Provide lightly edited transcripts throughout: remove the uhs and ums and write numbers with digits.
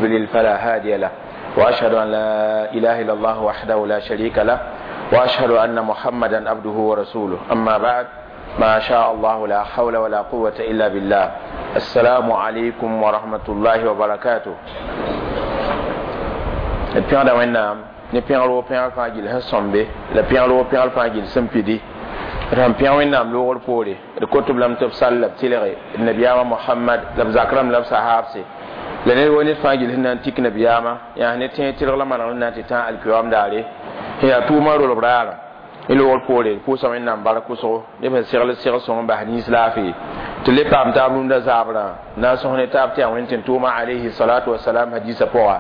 يضلل فلا هادي له، وأشهد أن لا إله إلا الله وحده لا شريك له، وأشهد أن محمدا عبده ورسوله. أما بعد، ما شاء الله لا حول ولا قوة إلا بالله. السلام عليكم ورحمة الله وبركاته. Pẽgda Wẽnnaam ne pẽgr wo pẽgr fãa gill sẽn sõmbe la pẽgr wo pẽgr fãa gill sẽn pidi. D sẽn pẽg Wẽnnaam loogr poore, d kot-b lame tɩ b sall la b tɩlge d nabiyaamã Mohamad la b zak rãmb la b sahaabse la ned wo ned fãa gill sẽn na n tik nabiyaamã yaa ne tẽeg tɩlg la manegr na n tɩ tã alkiyoam daare sẽn yaa tʋʋmã rolb raarã. Ne loogr poore, d pʋʋsa Wẽnnaam bark wʋsgo ne b sẽn segl seg sõng n bas nins laafee tɩ le paam taab rũndã zaabrã na n sõs ne taab tɩ yaa Wẽnd tɩ tʋʋma alayhi salatu wasalam hadisa pʋga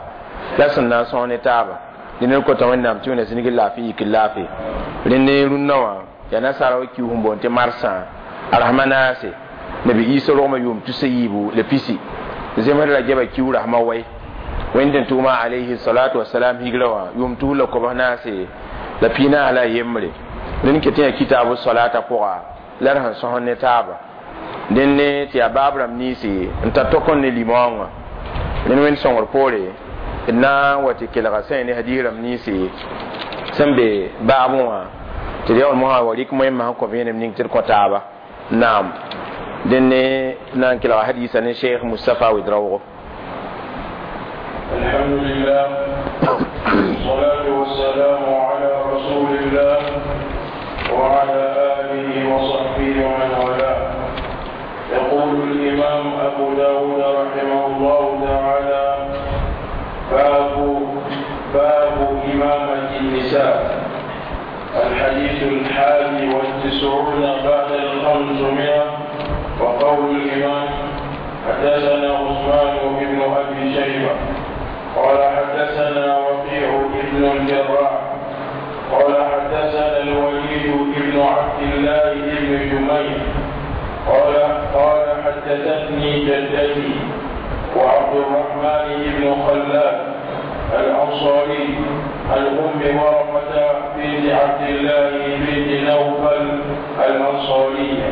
la sẽn na n sõs ne taaba. Dẽ ned kota Wẽnnaam tɩ wẽna zĩnig laafɩ yik laafɩ. Rẽnd rũndã wã yaa nasaara wa kius n boond tɩ marsã a rasmã naase nabi Isa rogmã yʋʋm 320. Zemsd ra geba kiu rasmã wai Wẽnd tɩ tʋʋma alayhi salatu wasalam higra wã yʋʋm 394 la yembre. Rẽnd ket yaa kitaabu salata pʋga la d sẽn sõs ne taaba. Dẽnd ne tɩ yaa baab rãmb niisi n tar tɔk n ne limoongã. Rẽnd Wẽnd sõngr poore d na n wa tɩ kelga sã ne hadiis rãmb niisi sẽn be baabẽ wã tɩ d yaool mosã wa rɩk moẽmã sẽn kõ vẽenem ning tɩ d kõ taaba. Naam, dẽnd ne na n kelga hadiisa ne Sheikh Mustapha Ouedraogo. الحمد لله، والصلاة والسلام على رسول الله وعلى آله وصحبه ومن والاه. يقول الإمام أبو داود رحمه الله تعالى: باب إمامة النساء. الحديث 591. وقول الإمام: حدثنا عثمان بن أبي شيبة قال حدثنا وكيع بن الجراح قال حدثنا الوليد بن عبد الله بن جميل قال قال حدثتني جدتي وعبد الرحمن بن خلاد الأنصاري عن أم ورقة بنت عبد الله بنت نوفل الأنصارية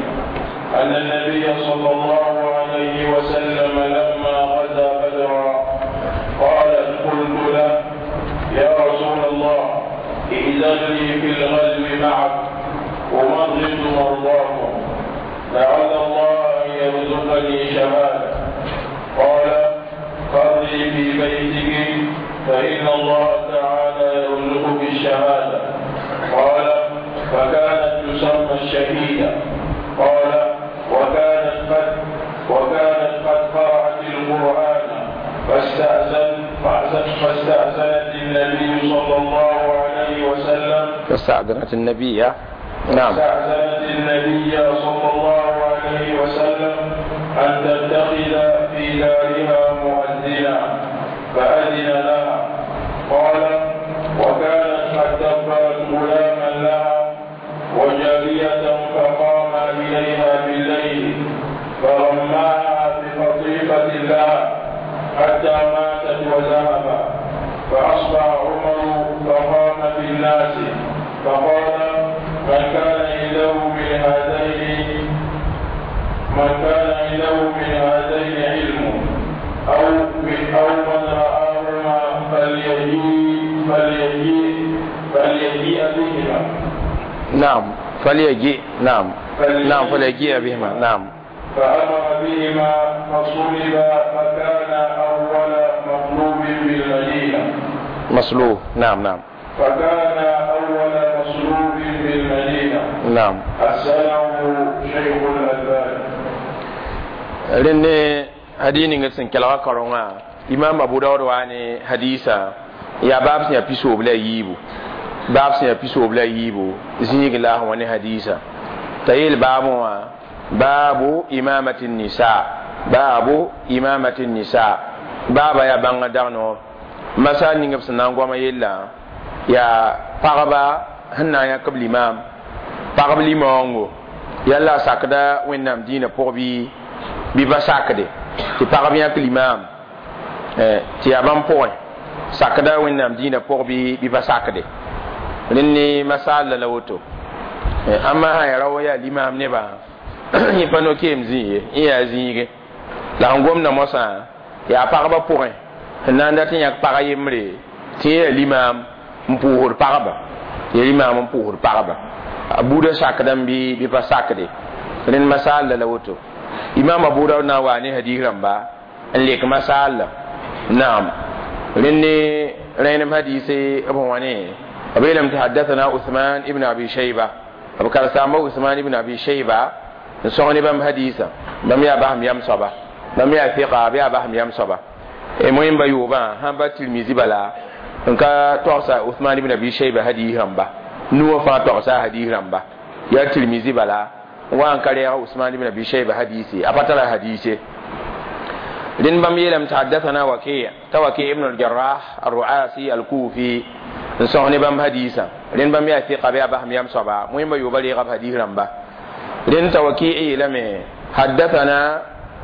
أن النبي صلى الله عليه وسلم لما غزا بدرا قالت: قلت له: يا رسول الله، ائذن لي في الغزو معك، أمرض مرضاكم، لعل الله أن يرزقني شهادة. قال: قري في بيتك، فإن الله تعالى يرزقك الشهادة. قال: فكانت تسمى الشهيدة. قال: وكانت قد قرأت القرآن فاستأذنت النبي صلى الله عليه وسلم. فاستأذنت النبي، نعم. فاستأذنت النبي صلى الله عليه وسلم أن تتخذ في دارها مؤذنا، فأذن لها. قال: وكانت قد دبرت غلاما لها وجارية، فقام إليها بالليل فرماها بقطيفة لها حتى ماتت وذهب. فأصبح عمر فقام في الناس فقال: من كان عنده من هذين علم أو من رآهما فليجيء بهما. نعم، فليجيء، نعم نعم، فليجيء بهما، نعم. فأمر بهما فصلب، فكان أول مطلوب بالمدينة. مصلوب، نعم نعم. فكان أول مصلوب بالمدينة. حسنه شيخ الألباني. Rẽnd hadis ning sẽn kelga kaoongã, Imam Abu Daud wa ne hadisa yaa baab sẽn yaa 93, baab sẽn yaa 94 zĩig la sẽn wa ne hadisa t'a yeel baabẽ wã: baabu imamati nisa, baabu imamati nisa. Baaba yaa bãnga dag noor masa ning b sẽn na n goama yella yaa pagba sẽn na n yãk b limam, pagb limoongo yalla sakda Wẽnnaam dĩinã pʋg bɩ ba sakde tɩ pagb yãk limam, tɩ yaa bãmb pʋgẽ sakda Wẽnnaam dĩinã pʋg bɩ ba sakde. Rẽnd ne masaal la woto. Ãmba sã ya rao yaa limam nebã yẽ pa no-keem zĩ ye, yẽ yaa zĩige la sẽn gomda mosã yaa pagba pʋgẽ. Sẽn na n dat n yãk pag yembre tɩ yã limaam n pʋʋsd pagba, ya limaam n pʋʋsd pagba, a buudã sakdame bɩ pa sakde. Rẽnd masaalla la woto imam Abu Dawud na n waa ne hadis rãmba n lek masaalla. Naam, rẽnd ne rẽenem hadise b wã ne b yeelame tɩ haddathana Uthman ibn Abi Shayba, b karsaamba Uthman ibn Abi Shayba n sõg ne bãmb hadisa. Bãmb yaa basem yam soaba, bãmb yaa fiqa, b yaa basem yam soaba. Moẽmba yoobã sãn pa Tirmizi bala n ka togsa Uthman ibn Abi Shayba hadis rãmba, nuwã fãa togsa a hadis rãmba. Yaa Tirmizi bala n wa n ka reega Usman ibn Abi Shayba hadisi, a pa tara hadise. Rẽnd bãmb yeelame tɩ haddathana Waki, t'a Waki ibn al-Jarrah al-Ru'asi al-Kufi n sõs ne bãmb hadisã. Rẽnd bãmb yaa fiqa, bɩ yaa basem yam soaba, moẽmba yooba reega b hadis rãmba. Rẽnd t'a Waki yeelame haddathana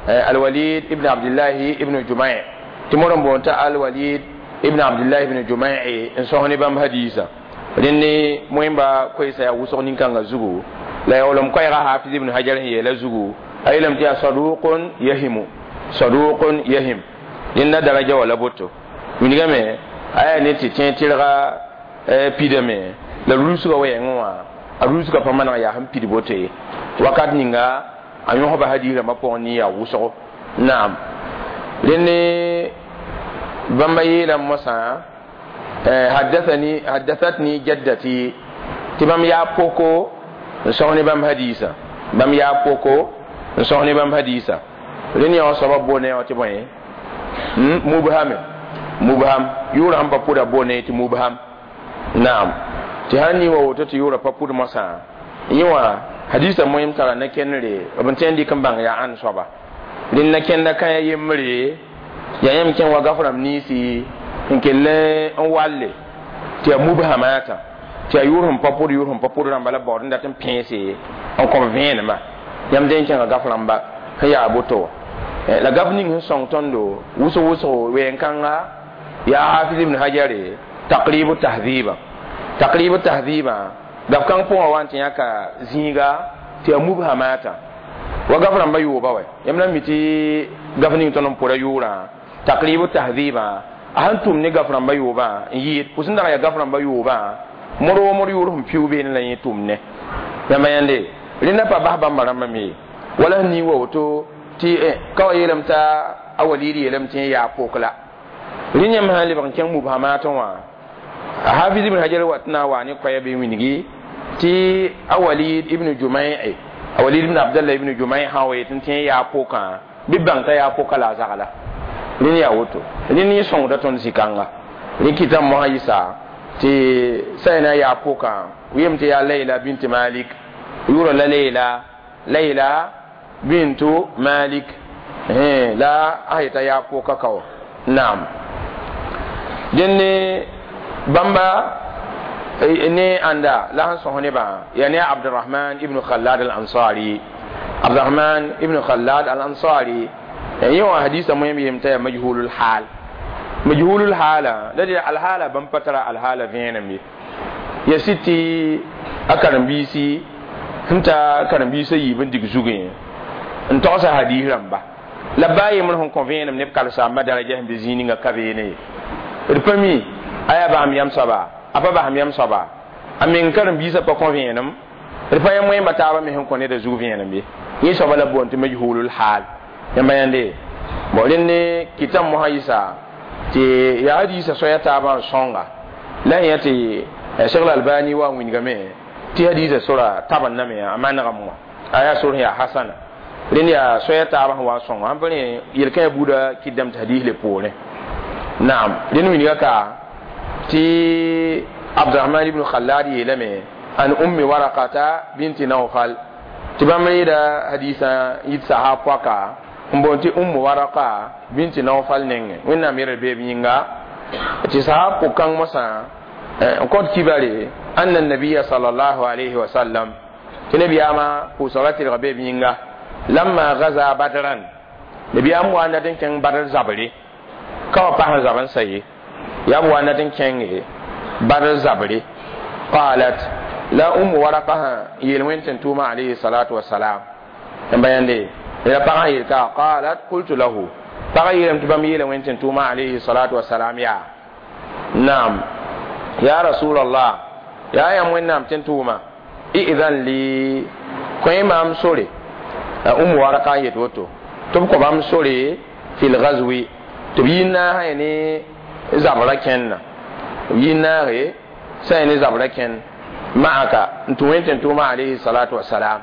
Alwalid ibn Abdillahi ibn Jumai, tɩ modr n boond t'a Alwalid ibn Abdullah ibn Jumai n sõs ne bãmb hadisã. Rẽnd ne moẽmba koɛɛsa yaa wʋsg nin-kãngã zugu la yaoolem koɛɛga Hafiz ibn Hajar sẽn yeela zugu, a yeelame tɩ yaa saduqun yahimu, saduqun yahim. Rẽnda daraja wa la boto wilgame a yaa ne tɩ tẽ tɩrga pidame la rusga wɛɛngẽ wã, a rusga pa maneg yaa sẽn pid boto ye. Wakat ninga a yõsba hadis rãmbã pʋgẽ ne yaa wʋsgo. Naam, rẽnd bãmba yeelame mosã haddathani haddathatni jaddati, tɩ bãmb yaa poko n sõs ne bãmb hadisa, bãmb yaa poko n sõs ne bãmb hadisa. Rẽnd yã wã soaba boone wã tɩ bõe mubhame, mubham yʋʋra sẽn pa pʋda boone tɩ mubham. Naam, tɩ sãn ning wa woto tɩ yʋʋra pa pʋd mosã, yẽ wã hadisa moẽm tara na-kendre b n tõe n dɩk n bãng yaa ãnd soaba. Rẽnd na-kẽnda kãya yembre yaa yãmb kẽn wa gaf rãmb ninsi n kell n walle tɩ yaa mubhamata, tɩ yaa yʋʋr sẽn pa pʋd, yʋʋr sẽn pa pʋd rãmba la baood n dat n pẽese n kõb vẽenemã. Yãmb dẽ n kẽnga gaf rãmba sẽn yaa boto wã la gaf ning sẽn sõng tõndo wʋsg wʋsgo wɛɛn-kãnga yaa Hafiz ibn Hajare Taqribu Tahdhiba, Taqribu Tahdhiba gaf kãng pʋgã wa n tɩ yãka zĩiga tɩ yaa mubhamata wa gaf rãmba yooba wɛ. Yãmb na mi tɩ gaf ning tõnd n pʋda yʋʋrã Taqribu Tahdhiba a sẽn tʋm ne gaf rãmba yoobã n yɩɩd pʋs n dag yaa gaf rãmba yoobã mod wo mod yʋʋr sẽn piʋ beene la yẽ tʋm ne. Yãmba yãnde rẽnda pa bas bãmba rãmbã me wala sẽn ning wa woto tɩ ka wa yeelame t'a a Walid yeelame tɩ yaa pok la. Rẽ yãmb sã n lebg n kẽng mubhamatẽ wã, Hafiz ibn Hajar wat na n waa ne koɛɛ bɩ wilgi tɩ a Walid ibn Jumai, a Walid ibn Abdallah ibn Jumai sã wa yet n tẽ yaa pokaã bɩ bãng t'a yaa poka la a zagla. Rẽnd yaa woto rẽnd yẽ sõngda tõnd zĩ-kãnga. Rẽ kɩtame mosã yɩsa tɩ sã na yaa pokaã yem tɩ yaa Layla bint Malik, yʋʋra la Layla, Layla bintu Malik la a yeta yaa poka ka wã. Naam, dẽnd bãmba ne ãnda la sẽn sõs nebã yaa ne Abdurahman ibn Khalad al-Ansari, Abdurahman ibn Khalad al-Ansari. Yẽ wã hadisa moẽm yem t'a yaa majhulul hal, majhulul hala la de alhala bãmb pa tara alhala vẽenem ye. Ya sɩd tɩ a karen-biisi sẽn ta karen-biisã yiib n dig zugẽ n togsa hadis rãmba la baa yembr sẽn kõ vẽenem neb kalsaambã daraja sẽn be zĩig ninga ka beene ye. D pa mi a yaa basem yam soaba, a pa basem yam soaba, a meng karen-biisã pa kõ vẽenem, d pa yã moẽmba taabã me sẽn kõ neda zug vẽenem ye. Yẽ soaba la boond tɩ majhulul hal. Yãmba yãnde bon rẽnd ne kɩtame mosã yɩsa tɩ yaa hadiisã soaya taabã n sõnga la yã tɩ Cheikh Albani wa n wilgame tɩ hadiisã sora tabendame a manegame wã a yaa sor sẽn yaa hasana. Rẽnd yaa soaya taabã sẽn wa n sõnga sãn pa rẽ yel-kãã buudã kɩtdame tɩ hadis le poorẽ. Naam, rẽnd wilga ka tɩ Abdurahman ibn Khalad yeelame an Ummi Warakata binti Nawfal, tɩ bãmb reeda hadisã yit sahab poaka n boond tɩ Ummu Waraka binti Nawfal nengẽ, Wẽnnaam yɛl beeb yĩnga, tɩ sahab pʋg-kãng mosã n kõt kibare anna nabiya sallallahu alayhi wa sallam, tɩ nabiyaamã pʋʋsgra tɩlga beeb yĩnga lamma gaza Badran, nabiyaam wa n dat n kẽng Badr zabre, ka wa pas n zab n sa ye, yaa b wa n dat n kẽnge Badr zabre. Qalat la Ummu Waraka sã yeel wẽnd tɩ tʋʋma alayhi salatu wasalam n ba yãnde la pagã yeel ka qalat qultu lahu Pagã yeelame tɩ bãmb yeela wẽnd tɩ n tʋʋma alayhi salatu wasalam yaa naam ya rasulallah yaa yãmb wẽnnaam tɩ n tʋʋma i'dan li kõ maam sore umu waraka n yet woto tɩ b kõ bãmb sore fil ghazwi tɩ b yi n naasã ne zabra kẽnna b yi n naase sã ne zabra kẽnd ma'aka n tũ wẽnd tɩ n tʋʋma alayhi salatu wasalam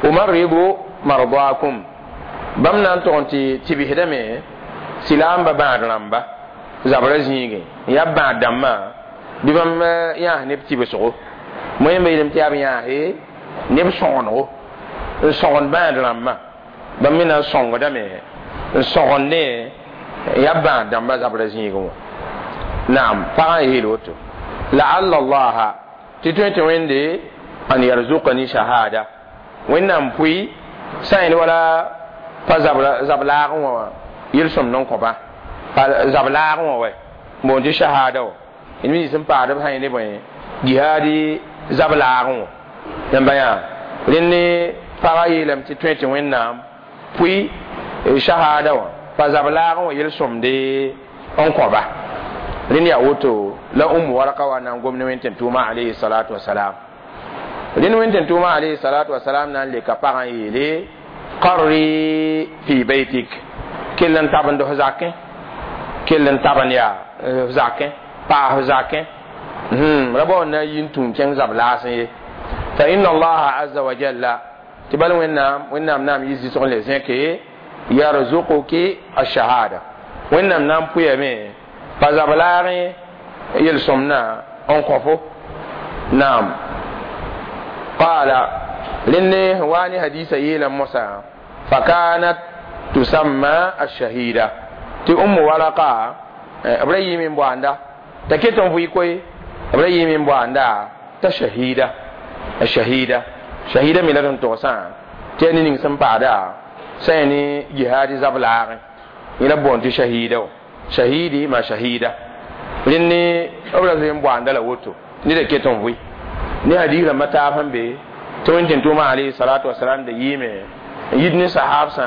umarridu mardakum bãmb na n tog n tɩ tɩbsdame silaamba bãad rãmba zabra zĩigẽ n yaa bãad dãmbã bɩ bãmb yãas neb tɩbsgo moẽmba yeelame tɩ yaa b yãase neb sõgenego n sõgend bãad rãmbã bãmb me na n sõngdame n sõgendẽ n yaa bãad dãmbã zabra zĩigẽ wã naam pagã n yeel woto laalla allaha tɩ tõe tɩ wẽnde an yarzukani shahada wẽnnaam pʋɩ sã yẽl wala pa zab-laagẽ wã yel-sõmd n kõba pa zab-laagẽ wã wɛ n boond tɩ shahada wã d mi sẽn paasd b sã yẽ ne bõe jihaadi zab-laagẽ wã yãmba yaa rẽnd ne pagã yeelame tɩ tõe tɩ wẽnnaam pʋɩ shahada wã pa zab-laagẽ wã yel-sõmde n kõba rẽnd yaa woto la umu waraka wa na n gom ne wẽnd tɩ n tʋʋma alayhi salatu wasalam rẽnd wẽnd tɩ n tʋʋma alayhi salatu wasalam na n leka pagã n yeele qarri fi baytik kell n tabend f zakẽ kell n tabend yaa f zakẽ paas f zakẽ ra bao n na n yi n tũum kẽng zab laasẽ ye fa inna allaha aza wa jalla tɩ bal wẽnnaam wẽnnaam naam yɩ zɩsg n le zẽke yarzuquki ashahada wẽnnaam na n pʋyame pa zab laagẽ yel-sõmdã n kõ-fo naam qaala rẽnd sẽn wa ne hadiisa yeelame mosã fakanat tusamma ashahida tɩ umu waraka b ra yɩɩme n boanda t'a ket n vʋɩ koe b ra yɩɩme n boanda t'a shahida shahida shahida me la d n togsã tɩ yaa ne ning sẽn paada sã yaa ne jihaadi zab laagẽ yẽ la b boond tɩ shahida wã shahidi ma shahida rẽnd ne b ra zoe n boanda la woto neda ket n vʋɩ ne hadiis rãmbã taab sẽn be tɩ wẽnd tɩ n tʋʋma alayhi salatu wasalam da yɩɩme n yit ne sahaabsã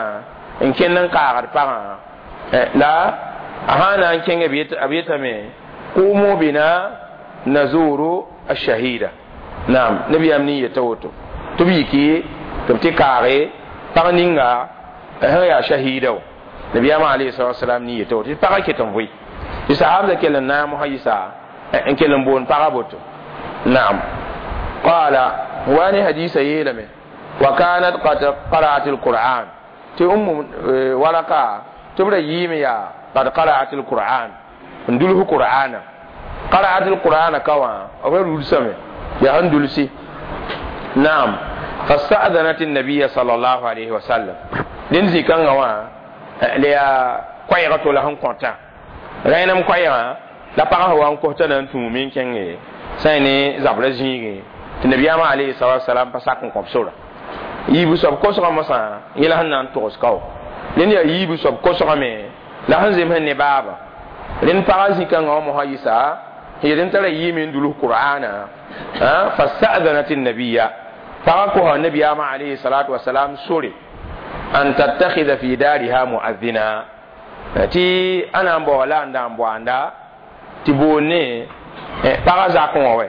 n kẽnd n kaagd pagã la a sã na n kẽnga b yetame qumu bina nazuru ashahida naam nabiyaam nin yeta woto tɩ b yiki tɩ b tɩ kaage pag ninga sẽn yaa shahida wã nabiyaamã alayhi salatu wasalam nin yeta woto tɩ pagã ket n vʋɩ tɩ sahaabsã kell n naag mosã yɩsa n kell n boond pagã boto naam qala wani hadisa yeelame wa kanat qad qara'at alquran tɩ umu waraka tɩ b ra yɩɩme yaa qad qara'at alquran n duls qur'ana qara'at alqur'ana ka wã b ra rulsame yaa sẽn dulsi naam fasta'danat النبي صلى الله عليه وسلم rẽnd zĩ-kãngã wã la yaa koɛɛgã to la sẽn kõta rẽnem koɛɛgã la pagã sẽn wa n kos t'a na n tũume n kẽnge sã y ne zabra zĩigẽ tɩ nabiyaamã alayhi salatu wasalam pa sak n kõb sora yiibu soab kosgã mosã yẽ la sẽn na n togs kao rẽnd yaa yiibu soab kosgame la sẽn zemsẽ ne baaba rẽnd pagã zĩ-kãngã wã mosã yɩsa yet n tara yɩɩme n dulus qur'ana fasta'danat النبي pagã kosa nabiyaamã alayhi salatu wasalam sore an tattakhidha fi dariha mu'adhdhina tɩ a na n baoa la n da n boanda tɩ boond ne pagã zakẽ wã wɛ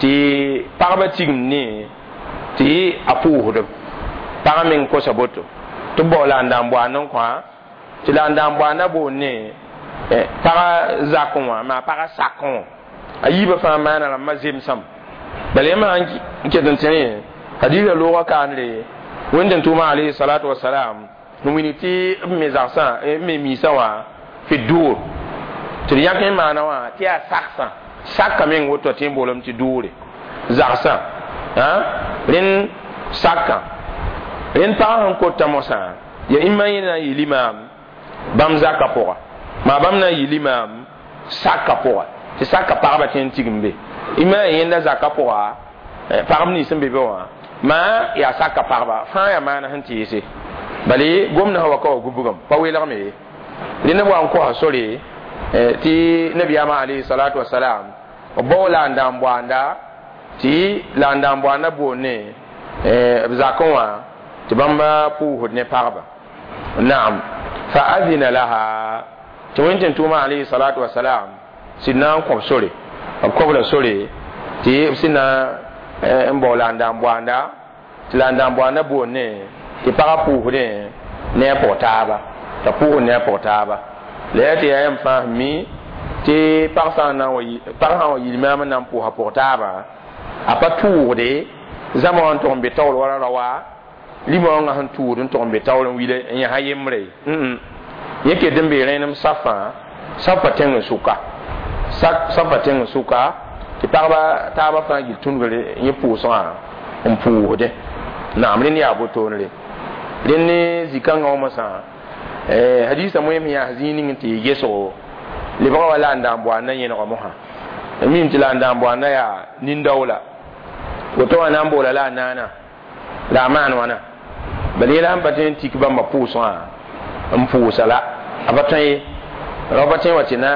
tɩ pagba tigim ne tɩ a pʋʋsdb pagã meng kosa boto tɩ b bao la n da n boand n kõ tɩ la n da n boanda boond ne pagã zakẽ wã maa pagã sakẽ wã a yiibã fãa maana rãmbã zemsame bala yãmb sãn n ket n tẽne hadiisã loogã kaandre wẽnd n tʋʋma alayhi salatu wasalam n wilg tɩ b me zagsã b me miisã wã fi duur tɩ d yãk n maana wã tɩ yaa saksã saka meng woto tɩ n boolame tɩ duure zagsã rẽnd sakã rẽnd pagã sẽn kota mosã ya ĩmã yẽ na n yɩ limaam bãmb zaka pʋga maa bãmb na n yɩ limaam saka pʋga tɩ saka pagba tõe n tigim be ĩmã yaa yẽnda zaka pʋga pagb nins sẽn be be wã maa yaa saka pagba fãa yaa maana sẽn tɩɩse bala gomdã sã wa ka wa gubgame pa welgme ye rẽnd b wa n kosa sore tɩ nabiyaamã alayhi salatu wasalam b bao la n da n boanda tɩ la n da n boanda boond ne b zakẽ wã tɩ bãmb pʋʋsd ne pagba naam Fa adina laha tɩ wẽn tʋʋma alayhi salatu wasalam sɩd na n kõb sore b kobra sore tɩ b sẽn na n bao la n daan boanda tɩ la n daan boanda boonne tɩ pagã pʋʋsdẽ ne a pʋg taaba t'a pʋʋsd ne a pʋg taaba la yaa tɩ yaa yãmb fãa sẽn mi tɩ pag sã n na n wa pag sã n wa yil maam n na n pʋʋsa pʋg taaba a pa tʋʋgde zãma wã n tʋg n be taoor wala raoa lima wãngã sẽn tʋʋd n tʋg n be taoor n wile n yãsa yembre yẽ ket n bee rẽenem safã safa tẽng n sʋka safa tẽng n sʋka tɩ pagba taaba fãa gil tũnugre yẽ pʋʋsgã n pʋʋsdẽ naam rẽnd yaa botoonre rẽnd ne zĩ-kãngã wã mosã hadisa moem yaa zĩig ning n tɩ yɩ gesgo lebga wa la n daan boanda yẽnega mosã mim tɩ la n daan boanda yaa nin-daoola woto wã na n boola la a naana la a maan wãna bala yẽla sẽn pa tõe n tik bãmba pʋʋsgã n pʋʋsa la a pa tõe ye rao pa tõe wa tɩ na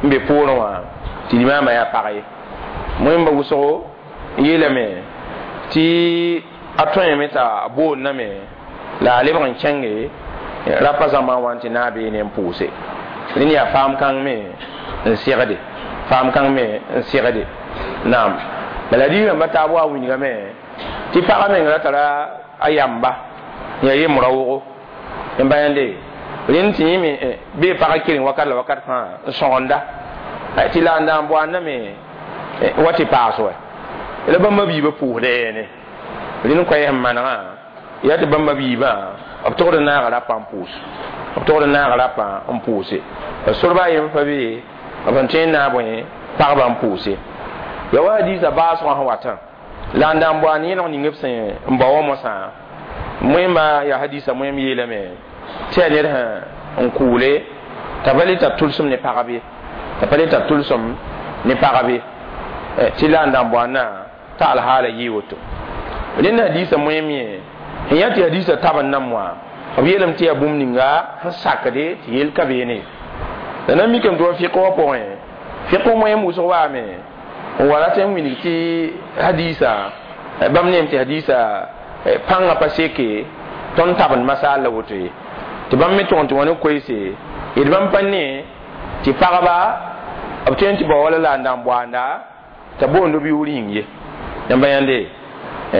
n be poorẽ wã tɩ limaamã yaa pag ye wẽmba wʋsgo n yeelame tɩ a tõeme t'a boondame la a lebg n kẽnge rapa zãmbã wã tɩ na a beene n pʋʋse rẽnd yaa faam kãng me n segde faam kãng me n segde naam bala rɩ-rãmba taab wa wilgame tɩ pagã meng ra tara a yamba yaa yembrã wogo n ba yãnde rẽnd tɩ yẽ me bee pagã keleng wakat la wakat fãa n sõgenda tɩ la n daan boandame wa tɩ paas wɛ la bãmba biibã pʋʋsda yɛɛne rẽnd koɛɛ sẽn manegã yaa tɩ bãmba biibã b togd n naaga rapa n pʋʋs b togd n naaga rapa n pʋʋse sorba a yem pa be b sẽn tõe n naag bõe pagba n pʋʋse ya wa hadiisa baasgã sẽn watã la n daan boand yẽlg ning b sẽn n bao wã mosã moẽmba yaa hadiisa moẽm yeelame tɩ yaa ned sẽn n kʋʋle t'a pa le tar tʋlsem ne pagb ye t'a pa le tar tʋlsem ne pagb ye tɩ la n daan boandã t'a alhaala yɩɩ woto rẽnd hadiisa moẽm yẽ sẽn yaa tɩ hadiisa tab n nam wã b yeelame tɩ yaa bũmb ninga sẽn sakde tɩ yel ka beene la na mikame tɩ wa fɩk wã pʋgẽ fɩk moẽm wʋsg waame n wa rat n wilg tɩ hadiisa bãmb neem tɩ hadiisa pãngã pa seke tõnd tabend masaal la woto ye tɩ bãmb me tõg tɩ wã ne koeese d bãmb pa ne tɩ pagba b tõe n tɩ bao wala la n daan boanda t'a boond b yʋʋr yĩng ye yãmba yãnde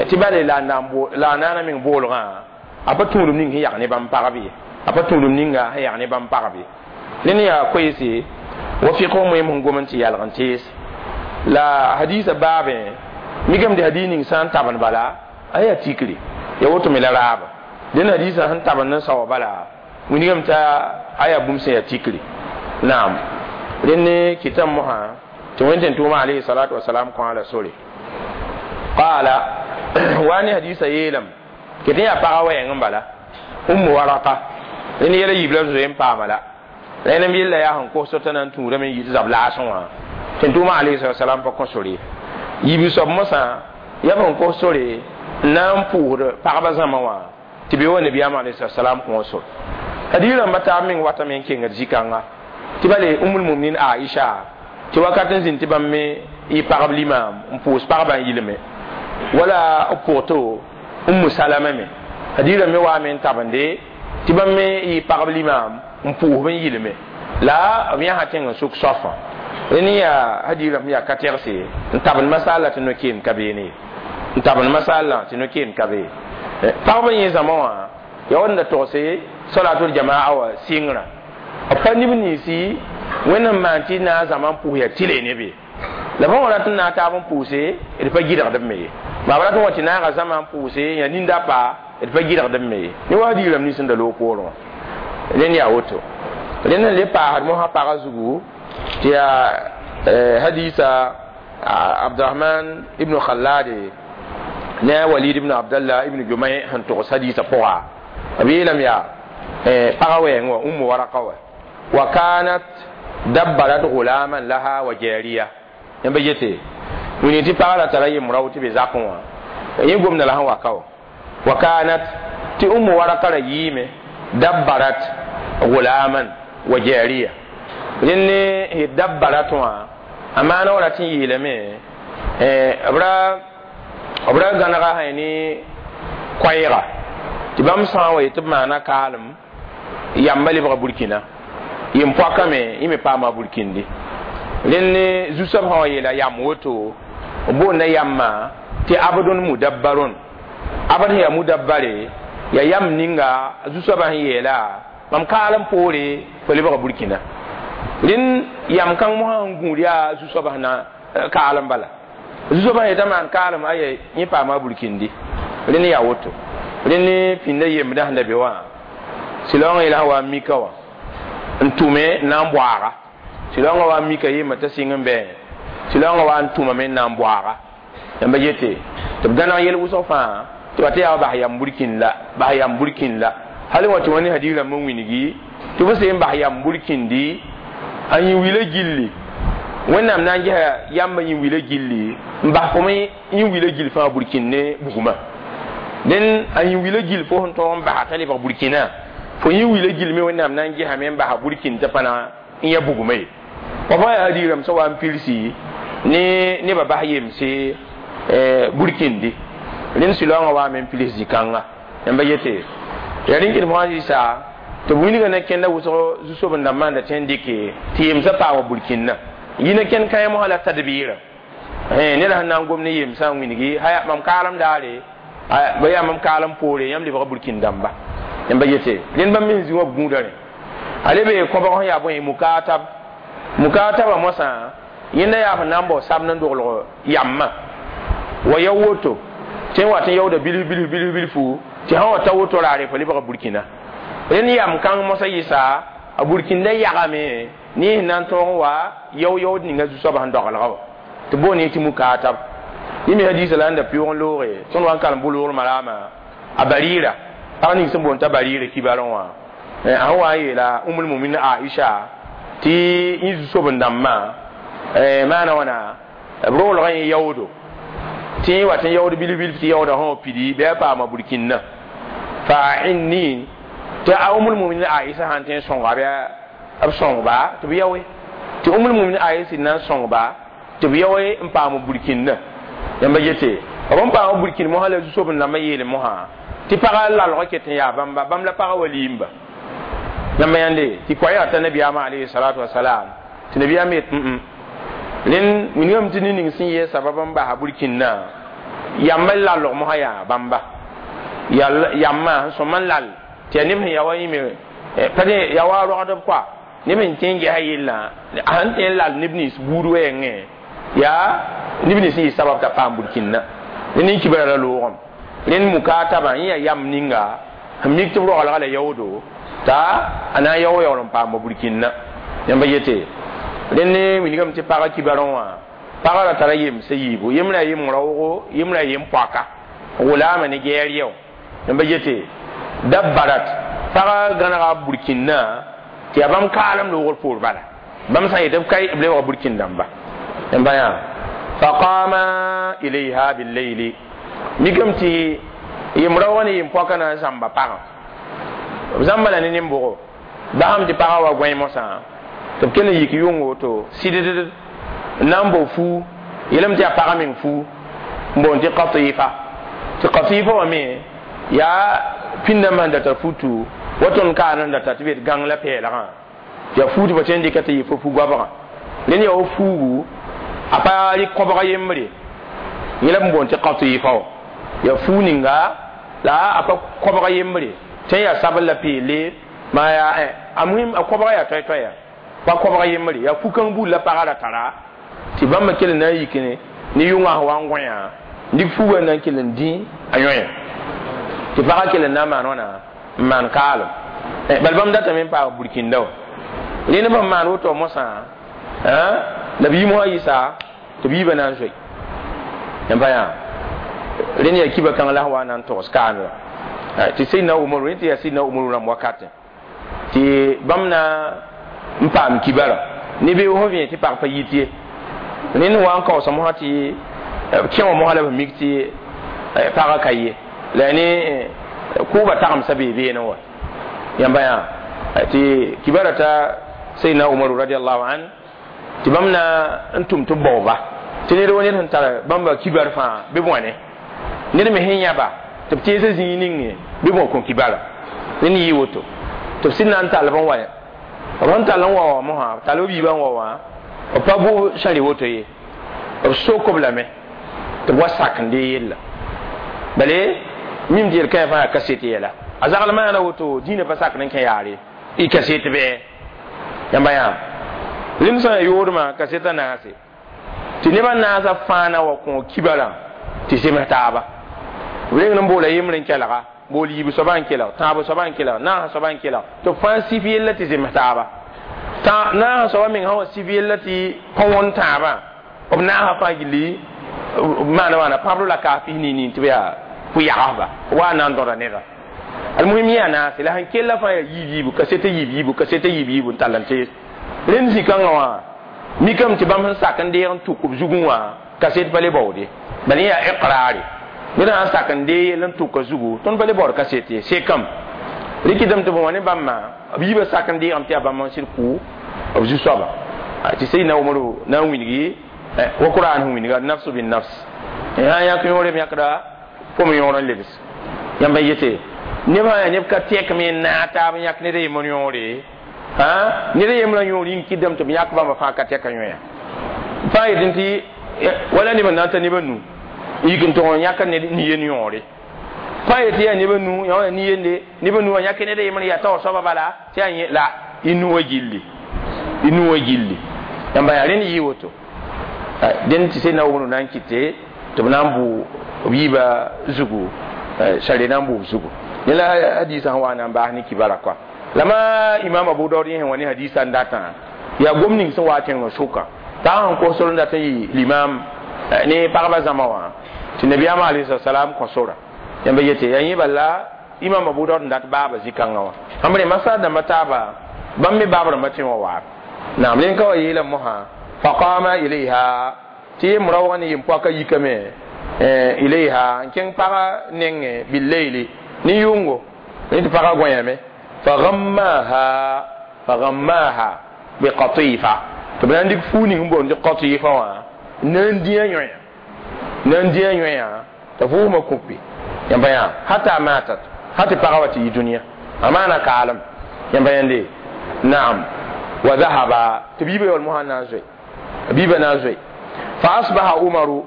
tɩ bale la a naana meng boolgã a pa tũudum ning sẽn yag ne bãmb pagb ye a pa tũudum ninga sẽn yag ne bãmb pagb ye rẽnd yaa koeese wa fɩk wã moeem sẽn gom n tɩ yalg n tees la hadisa baabẽ mikame tɩ hadis ning sã n tabend bala a yaa tikre ya woto me la raaba dẽn hadisã sẽn tabend n saoa bala wilgame t'a a yaa bũmb sẽn yaa tikre naam rẽnd ne kɩtame mosã tɩ wẽn tʋʋma alayhi salatu wasalam kõ la sore qaala wa ne hadisa yeelame ket n yaa pagã wɛɛng n bala ummu waraka rẽnd yɛla yiib la zoe n paama la rẽnem yella yaa sẽn kos t'a na n tũudame n yɩ tɩ zab laasẽ wã tɩ tʋʋma alayhi salatu wasalam pa kõ sore yiib soab mosã yaa sẽn kos sore n na n pʋʋsd pagba zãma wã tɩ be wa nabiyaam alayhi salatu wasalam kõ sore hadis rãmba taab meng watame n kengd zĩ-kãnga tɩ bale umul muminin aisha tɩ wakat n zĩnd tɩ bãmb me yɩ pagb limaam n pʋʋs pagba n yilme wala b pʋgto ummu salama me hadisã me waame n tabende tɩ bãmb me yɩ pagb limaam n pʋʋsb n yilme la b yãsa tẽng n sʋk soafã rẽnd yaa hadis rãmb yaa ka tɛgse n tabend masaala tɩ no-keem ka beene n tabend masaala tɩ no-keem ka bee pagb n yẽ zãma wã yaa wãnda togse salatul jamaa wa sɩngrã b pa neb ninsi wẽnd n maan tɩ na n zãma n pʋʋs yaa tɩle ne be la bãmb rat n na n taab n pʋʋse d pa gɩdgd b me ye maa b rat n wa tɩ naaga zãma n pʋʋse yaa nin-dapa d pa gɩdgd b me ye ne wa diiram nins n da loog poorẽ wã rẽnd yaa woto rẽnd n le paasd mosã pagã zugu tɩ yaa hadisa abdurahman ibnu khallade ne a walid ibn abdallah ibn jumay sẽn togs hadisa pʋga b yeelame yaa pagã wɛɛng wã ummu waraka wa wa kanat dabbarat gulaman laha wa jariya yãmba yete wini tɩ pagã ra tara yem-rao tɩ be zakẽ wã yẽ gomda la sẽn wa ka wã wa kanat tɩ ummu waraka ra yɩɩme dabbarat gulaman wa jariya rẽnd ne dabbarat wã a maana wa rat n yeelame b ra gãnega sã ne koɛɛga tɩ bãmb sã n wa yetɩ b maana kaalem Yamba lebga burkina yem poaka me yẽ me paama burkindi rẽnd zu-soab sã wa yeela yam woto boonda yamma tɩ abdun mudabbarun abd sẽn yaa mudabbare ya yam ninga zu-soabã sẽn yeela mam kaalem poore fo lebga burkina rẽnd yam kãng mosã sẽn gũud yaa zu-soabã sẽn na kaalem bala zu-soabã yetã maan kaalem aya yẽ paama burkindi rẽnd yaa woto rẽnd pĩnda yembdã sẽn da be wã sɩlaoongã yela sẽn wa n mika wã n tʋme n na n boaaga sɩlaoongã wa n mika yemba t'a sɩng n bɩ sɩlaoongã wa n tʋmame n na n boaaga yãmba yete tɩ b gãneg yel wʋsg fãa tɩ wa tɩ yaa bas yam burkin la bas yam burkin la hal wa tɩ wã ne hadiis rãmb n wilgi tɩ b seen bas yam burkindi a yĩ wila gilli wẽnnaam na n gesa yamba yĩ wila gilli n bas fo me yĩ wila gill fãa burkin ne bugmã dẽn a yĩ wila gill fo sẽn tõog n basa t'a lebg burkina fo yĩ wila gill me wẽnnaam na n gesame n basa burkin t'a pa na n ya bugmã ye wa fãa yaa hadiis rãmb sẽn wa n pilsi ne nebã bas yemse burkindi rẽnd sɩlaoongã waame n pils zĩ-kãnga yãmba yete yaa rẽn kɩt fãa rɩsa tɩ b wilga na kẽnda wʋsg zu-soab-n-dãmbã n da tõe n dɩke tɩ yemsã paama burkina yĩna kẽnd kãe mosã la tadbiirã ned sẽn na n gom ne yemsã n wilgi haya mam kaalem daare ba yaa mam kaalem poore yãmb lebga burkin dãmba yãmba yete rẽnd bãmb me sẽn zĩ wã b gũuda rẽ a lebe kõbg sẽn yaa bõe mukatab mukataba mosã yẽnda yaa sẽn na n bao sabd n doglg yamma wa ya woto tɩ n wa tɩ n yaooda bilf bilf bilf bilfu tɩ sã wa ta woto raare fo lebga burkina rẽnd yam kãng mosã yɩsa a burkinda yagame ne sẽn na n tõog n wa yao-yaood ninga zu-soabã sẽn dogelga wã tɩ boon tɩ mukatab yẽ me hadiisã la n da pɩʋʋg n looge tõnd wa n kalem bʋ-loogr maraamã a bariira pag ning sẽn boond t'a bariira kibarẽ wã a sẽn wa n yeela umul mumin Aisha tɩ yẽ zu-soab-n-dãmbã maana wãna b roolgã yẽ yaoodo tɩ yẽ wa tɩ n yaood bilf bilf tɩ yaooda sã wã pidi bɩ a paama burkina fa inni tɩ a umul mumin Aisha sãn tõe n sõnga bɩ b sõngba tɩ b yaoe tɩ umul mumin Aisha na n sõngba tɩ b yaoe n paam burkina yãmba yete b n paam burkin mosã la zu-soab-n-dãmbã yeele mosã tɩ pagã lalgã ket n yaa bãmba bãmb la pagã wa liimba yãmba yãnde tɩ koa yaa t'a nabiyaamã alayhi salatu wasalam tɩ nabiyaam yet rẽnd wilgame tɩ ned ning sẽn yee sabab n basa burkina yamba lalg mosã yaa bãmba yamma sẽn sõma n lal tɩ yaa neb sẽn ya wa yĩme pa ya wa rogdb koa neb sẽn tõe n gesa yellã sẽn tõe n lal neb nins buud wɛɛngẽ yaa neb nins sẽn yɩ sabab t'a paam burkina rẽnd n kibra la loogem rẽnd mukataba yẽ yaa yam ninga sẽn mik tɩ b roglga la yaoodo t'a a na n yao yaool n paam burkina yãmba yete rẽnd wilgame tɩ pagã kibarẽ wã pagã ra tara yemsã yiibu yembrã yem raoogo yembrã yem poaka gʋlaama ne gɛɛr yɛo yãmba yete dabbarat pagã gãnega burkina tɩ yaa bãmb kaalem loogr poor bala bãmb sã n yetɩ b ka b lebga burkin dãmba yãmba yã faqama ilayha billayli mikame tɩ yem raoogã ne yem poakã na n zãmba pagã b zãmba la ne nin-bʋgo basam tɩ pagã wa gõe mosã tɩ b kell n yik yʋng woto sɩdd n na n bao fuu yeelame tɩ yaa pagã meng fuu n boond tɩ qatifa tɩ qatifa wã me yaa pĩndãmbã sẽn da tar futu wa tõnd kaan sẽn da tar tɩ b yet gãng la pɛɛlgã yaa fuu tɩ ba tõe n dɩka tɩ yɩ fo fu-goabgã rẽnd yaa wa fuugu a pa rɩk kõbg yembre yẽ la b boond tɩ qatifa wã yaa fuu ninga la a pa kõbg yembre tɩ n yaa sabl la peele maa yaa a muhim a kõbga yaa toɛ-toɛya pa kõbg yembre yaa fu-kãng buud la pagã ra tara tɩ bãmba kell n na n yik ne yʋngã sẽn wa n gõyã dɩk fuugã n na n kell n dĩ a yõya tɩ pagã kell n na n maan wãna n maan kaalem bal bãmb datame n paam burkinda wã rẽnd b sẽn maan woto mosã la b yi mosã yɩsa tɩ b yiibã na n zoe yãmba yaa rẽnd yaa kiba kãng la sẽn wa n na n togs kaamda tɩ Seydina Umaru rẽ tɩ yaa Seydina Umaru rãmb wakatẽ tɩ bãmb na n paam kibara ne be fo vẽ tɩ pag pa yit ye rẽnd wa n kaoosã mosã tɩ kẽ wã mosã la b mik tɩ pagã ka ye la ne kʋʋba tagemsã bee beene wa yãmba yaa tɩ kibara t'a Seydina Umaru radiallahu an tɩ bãmb na n tʋm tɩ b baooba tɩ ned wa ned sẽn tara bãmba kibar fãa bɩ bõane ned me sẽn yãba tɩ b teesã zĩig ninge bɩ bõ kõ kibara rẽnd yɩ woto Tɩ b sɩd na n tall b n wa b sẽn tall n wa wã mosã b tall b yiibã n wa wã b pa bʋ sãri woto ye b sok b lame tɩ b wa sak n dee yella bale mim tɩ yel-kãe fãa yaa kaset yɛla a zagl maana woto dĩinã pa sakd n kẽ yaare y kaset bɩ yãmba yãam rẽnd sã n yoodmã kasetã naase tɩ nebã naasã fãa na wa kõ kibarã tɩ zems taaba b reng n boola yembr n kelga bool yiib soaba n kelg tãab soaba n kelg naasã soaba n kelg tɩ b fãa sif yella tɩ zems taaba naasã soaba meng sã wa sif yella tɩ pa wõn tãabã b naasã fãa gilli maana wãna pãbr la kaas pis nii tɩ b yaa pʋ-yagsba wa na n dõda neda almuhim yã naase la sẽn kella fãa yaa yiib yiibu kaseta yiib yiibu kaseta yiib yiibu n tall n tees rẽnd zĩ-kãngã wã mikame tɩ bãmb sẽn sak n deeg n tuk b zugẽ wã kaset pa le baoode bala yaa iqrare ned sã n sak n dee yell n tʋka zugu tõnd pa le baood kaset ye sekame rɩkɩdame tɩ b wã ne bãmba b yiibã sak n deegame tɩ yaa bãmb n sɩd kʋ b zu-soaba tɩ sayidna Umaru na n wilgi wa Qur'an sẽn wilga nafsu bin nafs sã n yãk yõore b yãkda pʋm yõor n lebs yãmb n yete neb sã yaa neb ka tɛkme n naag taab n yãk ned a yembr yõore ned a yembrã yõor yĩng kɩdame tɩ b yãk bãmba fãa ka tɛka yõya fãa yetẽ tɩ wala neb n na n ta neb a nu n yik n tʋg n yãk nin-yen yõore fãa yetɩ yaa neb a nu yã nin-yende neb a nu wã yãk ned a yembr yaa taoor soaba bala tɩ yaa yẽ la y nu wã gilli y nu wã gilli yãmba yaa rẽnd yɩ woto dẽnd tɩ sẽn na wʋmd na n kɩte tɩ b na n bʋ b yiibã zugu sare na n bʋ b zugu yẽ la hadiisã sẽn wa na n baas ne kibara kɔa la ma imam Abu Daud yẽ sẽn wa ne hadiisã n datã yaa gom ning sẽn wa tẽngã sʋka pag sẽn kos sor n dat n yɩ limam ne pagba zãma wã tɩ nabiyaamã alayhi salam kõ sora yãmba yete yaa yẽ bala imam Abu Daud n dat baaba zĩ-kãngã wã ãmb rẽ masar dãmbã taaba bãmb me baab rãmbã tẽ wã waab naam rẽn ka wa yeela mosã faqama ilayha tɩ yem raoogã ne yem-poakã yikame ilayha n kẽng pagã nengẽ billayli ne yʋngo ne tɩ pagã gõyame fagammaha biqatifa tɩ b na n dɩk fuu ning n boond tɩ qatifa wã n na n dĩ a yõya n na n dĩ a yõya t'a vʋʋsmã kũpi yãmba yã hata matat ha tɩ pagã wa tɩ yi dũniyã a maana kaalem yãmba yãnde naam wa dhahaba tɩ b yiibã yaool mosã na n zoe biiba na n zoe fa asbaha Umaru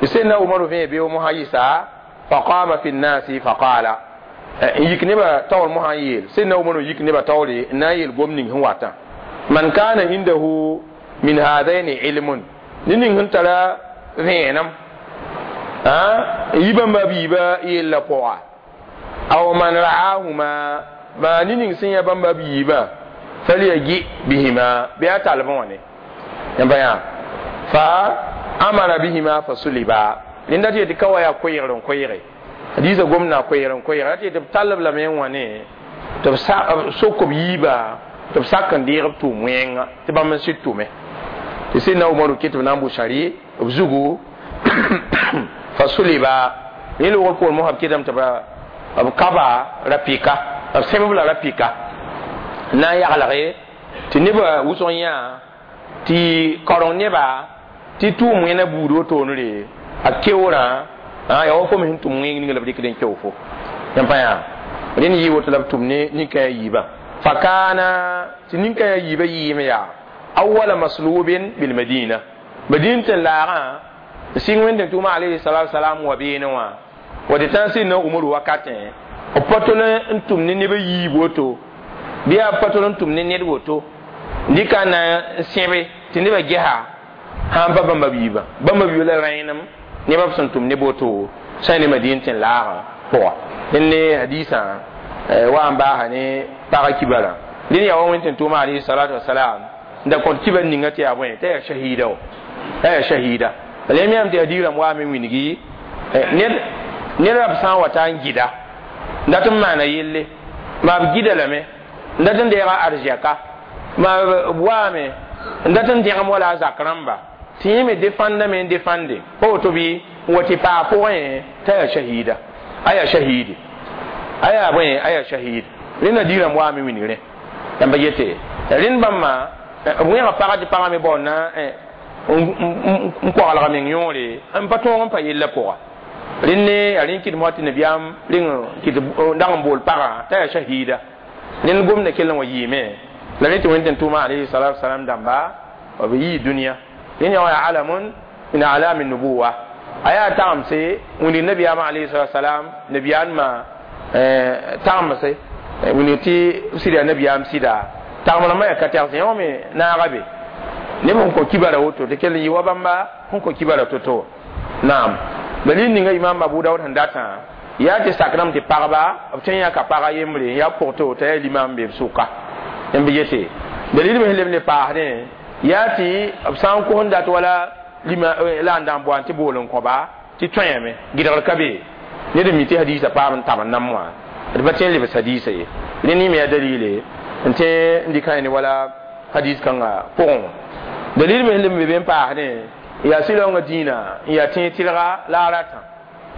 sẽnna Umaru vẽ beoog mosã yɩsa faqama fi nnasi faqala n yik nebã taoor mosã n yeel sẽnna Umaru yik nebã taoore n na n yeel gom ning sẽn watã man kana indahu min hadaini ilmun ne ning sẽn tara vẽenem n yi bãmba b yiibã yella pʋga aw man ra'ahuma maa ne ning sẽn yã bãmba b yiibã falyaji bihima bɩ a talb wã ne yãmba yã fa amara bihima fa suliba rẽnda tɩ yetɩ ka wa yaa koeegr n koeege hadiisã gomdã koeegr n koeegr tɩ yetɩ b tallb lame n wã ne tɩ b sok b yiibã tɩ b sak n deeg b tʋʋm wẽnga tɩ bãmb n sɩd tʋme tɩ sẽnna Umaru kɩ tɩ b na n bʋ sari b zugu fa suliba rẽ loogr poor mosã b kɩtame tɩ b kaba rapika b sẽmb la rapika n na n yaglge tɩ nebã wʋsg yã tɩ kaoreng neba tɩ tʋʋm wẽna buud wotoonre a keoorã yaa wa fo me sẽn tʋm wẽng ning la b rɩkd n keo fo yãmb pa yaa rẽnd yɩ woto la b tʋm ne nin-kãyã yiibã fa kaana tɩ nin-kãyã yiibã yɩɩm yaa awala maslubin bilmadina madin tɩ laagã n sɩng wẽnd tʋʋma alayhi salatu wasalam wa beene wã wa tɩ tã sẽn na Umaru wakatẽ b pa tol n tʋm ne neb a yiib woto bɩ yaa pa tol n tʋm ne ned woto dɩka n na n sẽbe tɩ nebã gesa sã n pa bãmba b yiibã bãmba b yiibã la rẽenem nebã b sẽn tʋm neb woto sã ne madin tɩ n laagã pʋga dẽnd ne hadiisã wa n baasa ne pagã kibarã dẽnd yaa wa wẽnd tɩ tʋʋma alayhi salatu wasalam n da kõt kibar ninga tɩ yaa bõe t'a yaa shahida o t'a yaa shahida bala yãmb yãmb tɩ hadiis rãmb waame wilgi ned b sã n wa ta n gɩda n dat n maana yelle maa b gɩda lame n dat n deega arzɛka maa b waame n dat n dẽgem wala a zak rãmba tɩ yẽ me defãndame n defãnde pa woto bɩ n wa tɩ paa pʋgẽ t'a yaa shahida a yaa shahidi a yaa bõe a yaa shahid rẽnda diirãmb waame wilgrẽ yãmba yete rẽnd bãmba b wẽga pagã tɩ pagã me baood na n koglga meng yõore n pa tõog n pa yella pʋga rẽnd ne yaa rẽnd kɩdem tɩ nabiyaam reng kɩt dag n bool pagã t'a yaa shahida Ned gomda kell n wa yɩɩme la rẽ tɩ wẽnd tɩ tʋʋma alayhi salatu wasalam dãmba b yii dũniyã. Rẽnd yã wã yaa alamun min alami nubuwa, a yaa tagemse wĩndg nabiyaamã alayhi salatu wasalam nabiyaanmã tagemse wĩndg tɩ b sɩd yaa nabiyaam sɩda tagem rãmbã yaa ka tɛgse yã wã me naaga be neb sẽn kõ kibara woto tɩ kell n yɩ wa bãmba sẽn kõ kibara to-to. Naam, dalil ninga imam Abu Dawud sẽn datã yaa tɩ sakrame tɩ pagba b tõe n yãka paga yembre n yaa pʋgto t'a yaa limam be b sʋka n bɩ yete. Dalil me sẽn leb ne paasdẽ yaa tɩ b sã n kos n dat wala lima la n dag n boan tɩ bool n kõba tɩ tõeame gɩdgr ka be ned n mi tɩ hadiisã paam n tab n nam wã d pa tõe n lebs hadiisã ye. Rẽ nin me yaa dalile n tõe n dɩka ne wala hadis kãngã pʋgẽ wã. Dalil me sẽn leb n be be n paasdẽ yaa sɩlaoongã dĩinã n yaa tẽeg tɩlga la a ratã,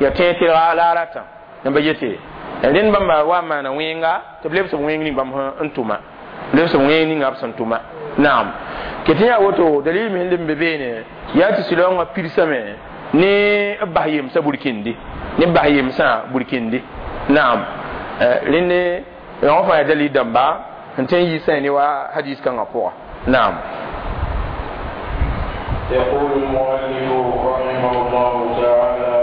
yaa tẽeg tɩlga la a ratã n ba yete. Rẽnd bãmba wa n maana wẽnga tɩ b lebs b wẽng ning bãmb n tʋma, lebs b wẽng ninga b sẽn tʋma. Naam, ket yaa woto dalil me sẽn leb n be beene yaa tɩ sɩlaoongã pirsame ne b bas yemsã burkindi, ne b bas yemsã burkindi. Naam, rẽnd yõ fãa yaa dalil dãmba n tõe n yiisã ne wa hadis kãngã pʋga. Naam. يقول المؤلف رحمه الله تعالى: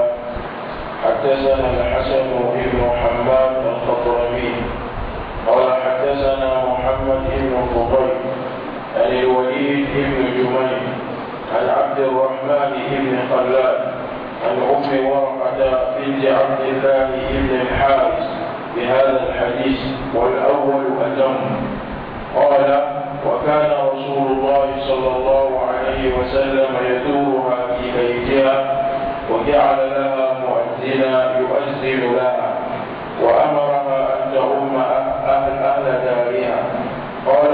حدثنا الحسن بن حماد الخضرمي قال حدثنا محمد بن فضيل عن الوليد بن جميل عن عبد الرحمن بن خلاد عن أم ورقة بنت عبد الله بن الحارث بهذا الحديث، والأول أتم. قال: وكان رسول الله صلى الله عليه وسلم يزورها في بيتها وجعل لها مؤذنا يؤذن لها وأمرها أن تؤم أهل دارها. قال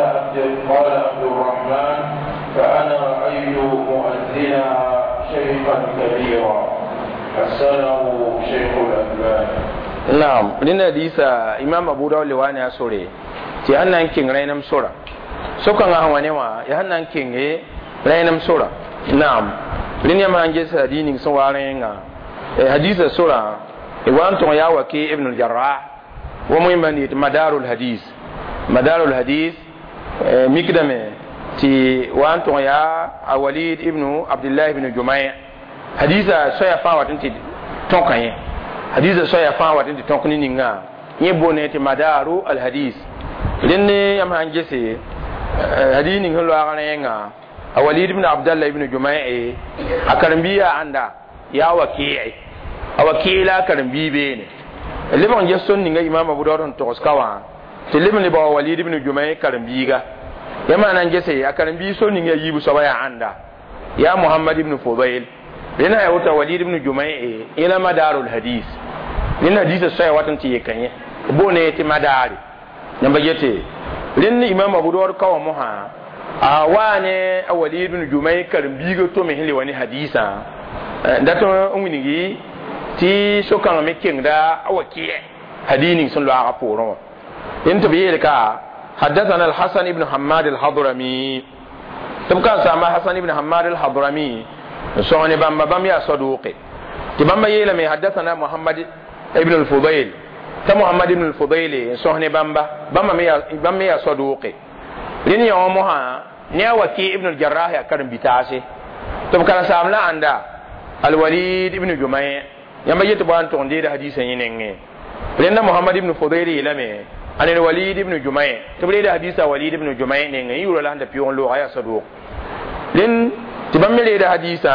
عبد الرحمن: فأنا رأيت مؤذنها شيخا كبيرا. حسنه شيخ الألباني. نعم، لأن حديث إمام أبو داود لواني أسوري tɩ yaa na n kẽng rẽnem sora sokãngã sẽn wa ne wã yaa na n kẽnge rẽnem sora. Naam, rẽnd yãmb sãn ges hadis ning sẽn wa rẽengã, hadisã sora wa n tõg yaa Waki ibn al-Jarrah wa muhimma n yetɩ madarul hadis, madarul hadis mikdame tɩ wa n tõg yaa a Walid ibn Abdullah ibn Jumai. Hadisã soaya fãa wat n tɩ tõka yẽ, hadisã soaya fãa wat n tɩ tõk ne ninga yẽ boone tɩ madaru al hadis. Rẽnd yãmb sãn gese hadis ning sẽn loaag rẽengã, a Walid ibn Abdallah ibn Jumai a karen-biiga ãnda yaa Waki'i, a Waki'i la a karen-bii beene. Leb n ges tõnd ninga Imam Abu Dawud sẽn togs ka wã tɩ leb n le bao Walid ibn Jumai karen-biiga. Yãmb sã na n gese a karen-bii so ninga yiib soaba yaa ãnda yaa Muhammad ibn Fudail. Rẽnd sã yaa woto Walid ibn Jumai yẽ la madarul hadis. Rẽnd hadisã soaya wat n tɩ yeka yẽ boone tɩ madaare yãmba yete. Rẽnd Imam Abu Dawud ka wã mosã a waa ne a Walid ibn Jumai karen-biiga tome sẽn le wa ne hadisã dat n wilgi tɩ so-kãngã me kengda a Waki hadis ning sẽn loaagã poorẽ wã. Rẽnd tɩ b yeel ka حدثنا الحسن بن حماد الحضرمي tɩ b ka saama Hasan ibn Hamad al-Hadrami sõng ne bãmba, bãmb yaa saduqe tɩ bãmba yeelame حدثنا Muhammad ibn al-Fudail t'a Muhammad ibn al-Fudail n sõs ne bãmba, bãmb me yaa saduqe. Rẽnd yã wã mosã ne a Waki ibn al-Jarrah yaa karen-bitaase tɩ b karen-saam la ãnda al-Walid ibn Jumai. Yãmba yetɩ bõa n tʋg n deeda hadisã yẽ nengẽ. Rẽnda Muhammad ibn Fudail yeelame an al-Walid ibn Jumai tɩ b reeda hadisã Walid ibn Jumai nengẽ yʋʋra la sẽn da pɩʋg n looga yaa saduq. Rẽnd tɩ bãmb me reeda hadisã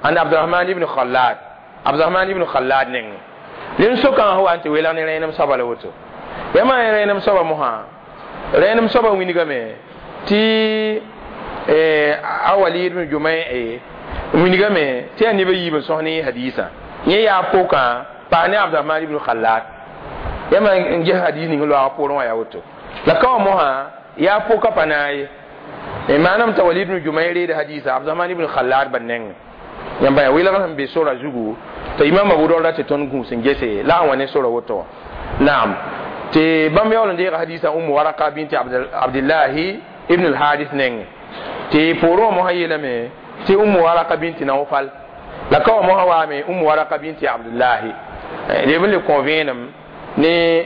an Abdurahman ibn Khallad, Abdurahman ibn Khallad nengẽ. Rẽnd sokãngã sẽn wa n tɩ welg ne rẽenem soaba la woto. Yãmb rẽenem soaba mosã, rẽenem soaba wilgame tɩ a Walid ibn Jumai wilgame tɩ yaa neb a yiib n sõs ne hadisã yẽ yaa pʋkã paa ne Abdurahman ibn Khallad. Yãmb n ges hadis ning loaag poorẽ wã yaa woto. La ka wã mosã yaa pʋka pa naag ye maanam t'a Walid ibn Jumai reeda hadisa Abdurahman ibn Khallad ba nengẽ. Yãmba yaa welg sẽn be sora zugu t'a Imam Abu Dawud ra tɩ tõnd gũus n gese la a wã ne sora woto wã. Naam, tɩ bãmb yaool n deega hadisã Umm Waraka binti Abdillahi ibn al-Harith nengẽ tɩ poorẽ wã mosã yeelame tɩ Umm Waraka binti Nawfal la ka wã mosã waame Umm Waraka binti Abdullahi. Leb n le kõ vẽenem ne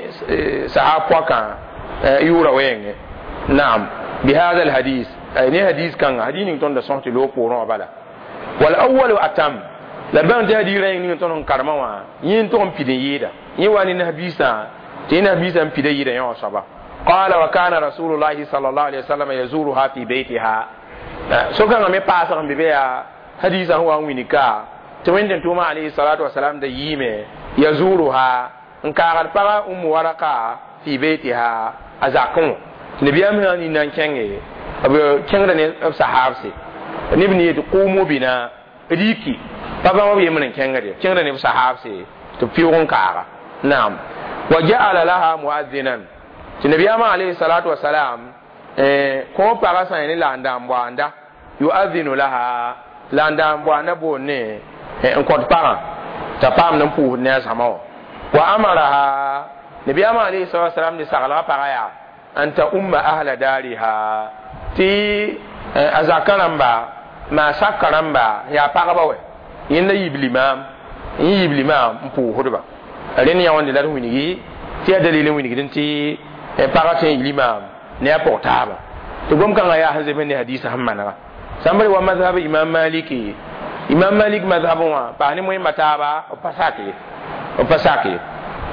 sahab pɔkã yʋʋra wɛɛngẽ naam bihada alhadis ne hadis kãnga hadis ning tõnd da sõs tɩ loog poorẽ wã bala wal awalu atam la bãng tɩ hadis rã yĩng ning tõnd n karema wã yẽ n tog n pid n yɩɩda yẽ wa ne nasbiisã tɩ yẽ nasbiisã n pida yɩɩda yẽ wã soaba qala wa kana rasulullahi sallallahu alaihi wasallam yazuruha fi baytiha sokãngã me paasg n be be yaa hadisã sẽn wa n wilg ka tɩ wẽnd tʋʋma alayhi salatu wasalam da yiime yazuruha n kaagd paga Ummu Waraka fi baytiha a zakẽ wã tɩ nabiyaam sã n na n kẽnge b kẽngda ne b sahabse neb ne yetɩ qumu bina riki pa bãmb b yembr n kẽngde kẽngda ne b sahabse tɩ b pɩʋg n kaaga naam wa ja'ala laha muadhinan tɩ nabiyaamã alayhi salatu wasalam kõ pagã sã ne la n dãan boanda yuadhinu laha la n dãan boanda boond ne n kõt pagã t'a paamd n pʋʋsd ne a zãma wã wa amaraha nabiyaamã alayhi salatu wasalam ne saglga pagã yaa an ta umma ahla dariha tɩ a zakã rãmba maa saka rãmba yaa pagba wɛ yẽnda yiib limaam n yiib limaam n pʋʋsdba rẽnd yã wãnde la d wilgi tɩ yaa dalil n wilgd tɩ pagã tõe n yi limaam ne a pʋg taaba tɩ gom-kãngã yaa sẽn zems ne hadisa sẽn manega sãn b wa mazhab imam maliki imam malik mazhab wã paas ne moẽmba taaba b pa sak ye b pa sak ye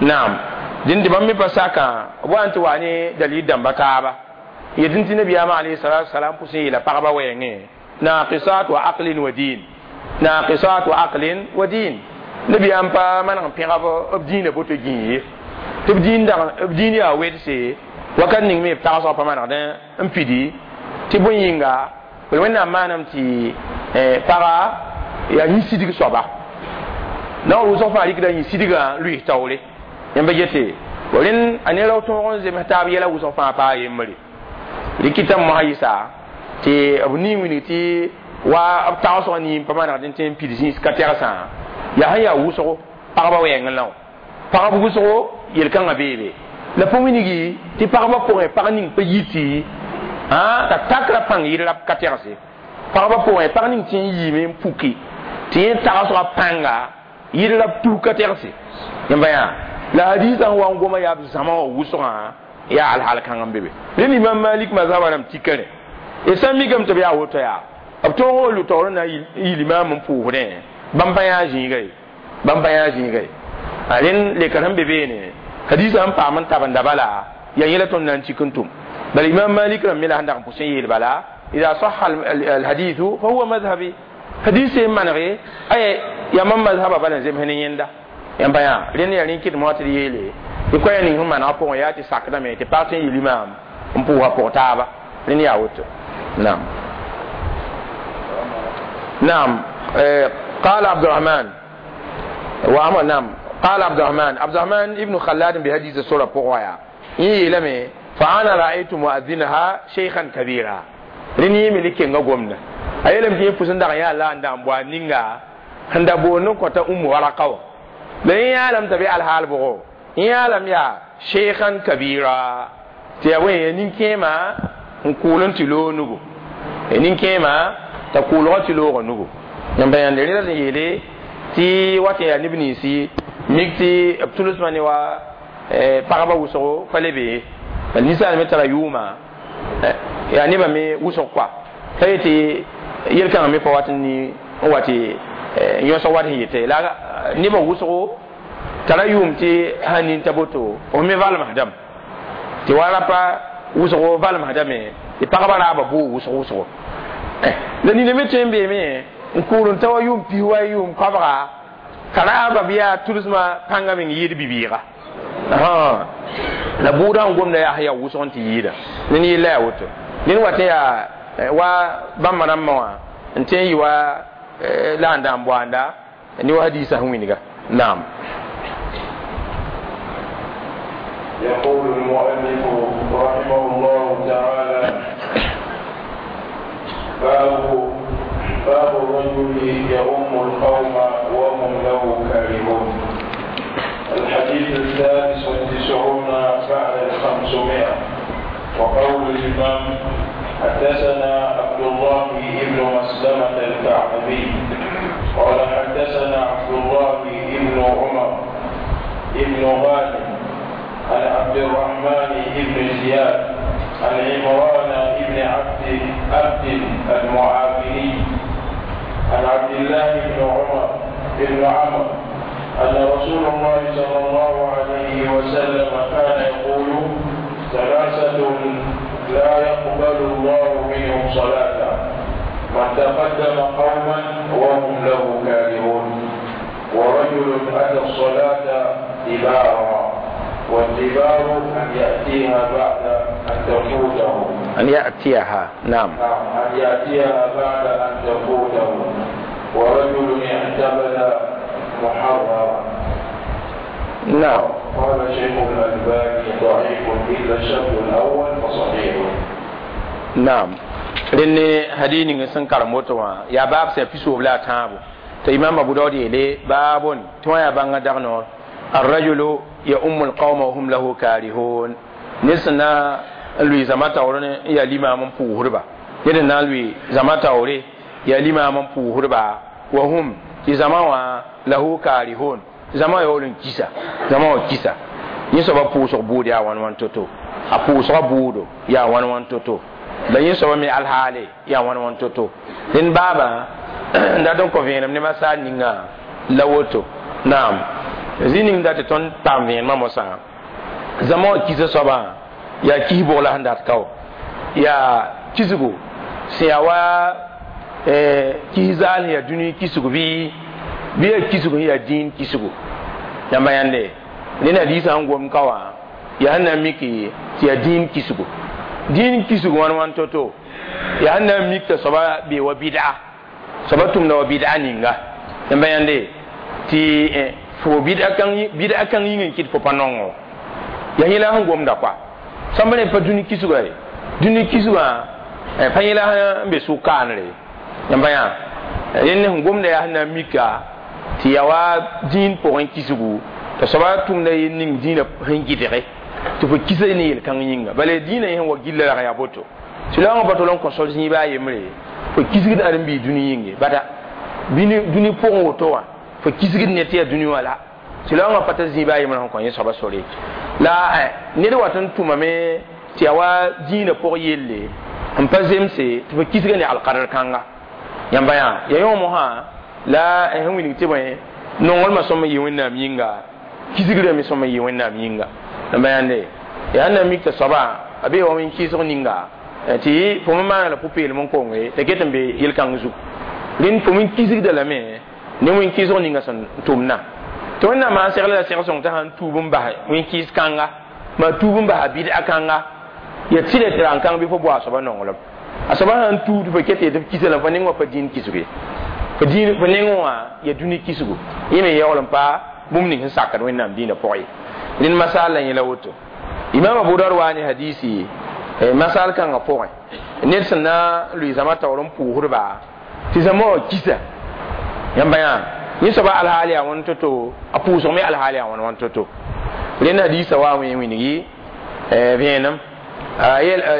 naam dẽn tɩ bãmb me pa sakã b wa n tɩ wa ne dalil dãmba taaba yetɩ tɩ nabiyaamã alayhi salatu wasalam pʋsẽ yeela pagba wɛɛngẽ naqisat wa aqlin wa din naqisat wa aqlin wa din nabiyaam pa maneg n pẽga b dĩinã boto gĩig ye tɩ b dĩin yaa wedse wakat ning me b tagsg pa manegd n pidi tɩ bõe yĩnga b wẽnnaam maanam tɩ paga yaa yĩ-sidg soaba naoor wʋsg fãa rɩkda yĩ-sidgã lʋɩs taoore yãmb yete rẽnd a ne rao tõog n zems taab yɛla wʋsg fãa paa yembre rɩkɩtame mosã yɩsa tɩ b ning wilg tɩ wa b tagsg nin pa manegd n tẽ n pid zĩis ka tɛgsã yaa sẽn yaa wʋsgo pagba wɛɛngẽ la wã pagb wʋsgo yel-kãngã beebe la pa wilgi tɩ pagba pʋgẽ pag ning pa yiti t'a takra pãng yɩl rab ka tɛgse pagba pʋgẽ pag ning tɩ n yiime n puki tɩ yẽ tagsga pãnga yɩl rab tus ka tɛgse yãmba yaa la hadisã n wa n goma yaa b zãma wã wʋsgã yaa alhaal kãng n be be rẽnd imam malik mazhaba rãmb tikã rẽ d sã n mikame tɩ b yaa woto yaa b tõog n lʋ taoor n na n yɩ limaam n pʋʋsdẽ bãmb pa yã zĩiga ye bãmb pa yã zĩiga ye a rẽnd lekr sẽn be beene hadisã sẽn paam n tabenda bala yaa yẽla tõnd na n tik n tʋm bala imam malik rãmb me la sẽn dag n pʋs n yeel bala ida saha alhadithu fa huwa madhhabi hadis n manege ay yaa mam mazhaba bala n zems ne yẽnda yãmba yã rẽnd yaa rẽ kɩt moa tɩ d yeele tɩ koɛɛ ning sẽn manegã pʋgẽ yaa tɩ sakdame tɩ pag tɩ n yɩ limaam n pʋʋsa pʋg taaba rẽnd yaa woto naam naam قال عبد الرحمن وعمر نعم قال عبد الرحمن عبد الرحمن ابن خلاد بحديث السورة بقوايا يلمي فأنا رأيت مؤذنها شيخا كبيرا رني ملك غومنا أيلم تي فسن دغ يا لا ndam bwa ninga nda bo no kota ummu waraqaw la ya lam tabi al hal bugo ya lam ya shaykhan kabira ti awe nin kema nkulun tilo nugo nin kema ta kulgo tilo nugo yamba yande rela yele ti wati ya nibni mik tɩ b tʋlsmã ne wa pagba wʋsgo pa le be bal ninsaal me tara yʋʋma yaa nebã me wʋsg koa t'a yetɩ yel-kãngã me pa wat n wa tɩ yõsg wat sẽn yete la nebã wʋsgo tara yʋʋm tɩ sãn nin t'a boto f me valmsdame tɩ wa rapa wʋsgo valmsdame tɩ pagba raaba bʋʋg wʋsg wʋsgo la nina me tõe n beeme n kʋʋr n ta wa yʋʋm pis wa yʋʋm koabga ka raaba bɩ yaa tʋlsmã pãngã meng yɩɩd bibiiga la bʋʋdã n gomda yaa sẽn yaa wʋsg n tɩ yɩɩda ned yella yaa woto ned wa tɩ yaa wa bãmba rãmbã wã n tõe n yɩ wa la n dãan boanda ne wa hadiisã sẽn wilga naam يقول المؤلف رحمه الله تعالى باب الرجل يؤم القوم وهم له كارهون. الحديث 93 بعد 500. وقول الإمام حدثنا عبد الله بن مسلمة الكعبي قال حدثنا عبد الله بن عمر بن غانم عن عبد عبد الرحمن بن زياد عن عمران بن عبد المعافري عن عبد الله بن عمر بن عمرو أن رسول الله صلى الله عليه وسلم كان يقول: ثلاثة لا يقبل الله منهم صلاة: من تقدم قوما وهم له كارهون، ورجل أتى الصلاة دبارا، والدبار أن يأتيها بعد أن تفوته. أن يأتيها، نعم، أن يأتيها بعد أن تفوته، ورجل اعتمد محررا. نعم. قال شيخ الألباني: ضعيف إلا الشرط الأول فصحيح. نعم. لأن هديني سنكر موتوا يا باب سيفسو بلا تابو. إمام أبو داود يلي باب توا بانغ دغنور الرجل يؤم القوم وهم له كارهون. نسنا لوي زماتا ورن يا لما من بوهربا. يدنا لوي زماتا وري يا لما من بوهربا وهم زماوا له كارهون. زما يولن كيسا زما كيسا يسوba puusg buud yaa wãn wãn to-to a pʋʋsga buudo yaa wãn wãn to-to la yẽ soaba me alhaale yaa wãn wãn to-to dẽn baaba n dat n kõ vẽenem ne masaar ninga la woto. Naam, zĩ ning dat tɩ tõnd paam vẽenemã mosã zãma wã kisa soabã yaa kis bʋg la sẽn dat kao yaa kisgo sẽn yaa wa kis zaal sẽn yaa dũni kisgo bɩ yaa kisgo sẽn yaa dĩin kisgo yãmba yãnde ned hadiisã sẽn gom ka wã yaa sẽn na n miki tɩ yaa dĩin kisgo dĩin kisgo wãn wãn to-to yaa sẽn na n mik t'a soaba bee wa bɩd'a soaba tʋmda wa bɩd'a ninga yãmba yãnde tɩ fo bɩd'a kãng yĩng n kɩt fo pa nongo yaa yẽla sẽn gomda kɔa sõmb ne pa dũni kisgã ye dũni kisgã pa yẽla sẽn be sʋk kaanre yãmba yã rẽnd sẽn gomda yaa sẽn na n mika tɩ yaa wa dĩin pʋgẽ kisgu t'a soaba tʋmda yel ning dĩinã sẽn gɩdge tɩ fo kisa ne yel-kãng yĩnga bala dĩinã sẽn wa gilla rag yaa boto tɩ la wã pa tol n kõ sol zĩiba a yembre fo kisgd ãdem-biig dũni yĩnge bada dũni pʋgẽ woto wã fo kisgd ne tɩ yaa dũni wã la tɩ la wã pa t'a zĩiba a yembre sẽn kõ yẽ soaba sore la ned wat n tʋmame tɩ yaa wa dĩinã pʋg yelle n pa zemse tɩ fo kisga ne alkadr kãnga yãmba yã ya yõ mosã la sẽn wilg tɩ bõe nonglmã sõm n yɩ wẽnnaam yĩnga kisgrã me sõm n yɩ wẽnnaam yĩnga yãmba yãnde yaa na mik t'a soaba a bee wa wẽn-kɩɩsg ninga tɩ fo me maana la pʋ-peelem n konge t'a ket n be yel-kãng zug rẽnd fo me kisgda lame ne wẽn-kɩɩsg ninga sẽn tʋmna tɩ wẽnnaam maan segla la seg-sõng t'a sãn tuub n bas wẽn-kɩɩs kãnga maa tuub n basa bɩd'a kãnga ya tɩla tɩ rang kãng bɩ fo bao a soaba nonglem a soaba sãn tuub tɩ fo ket tɩ f kisa la fo neng wã pa dĩin kisge fo neng wã ya dũni kisgo yẽ me yaool n pa bũmb ning sẽn sakd wẽnnaam dĩinã pʋgẽ ye rẽnd masaal la yẽla woto imam abu daud waa ne hadisi masaal kãngã pʋgẽ ned sẽn na n lʋɩ zãma taoor n pʋʋsdba tɩ zãma wã kisa yãmba yã yẽ soaba alhaal yaa wãn to-to a pʋʋsg me alhaal yaa wãn wãn to-to rẽnd hadiisã waa wẽ wilgi vẽenem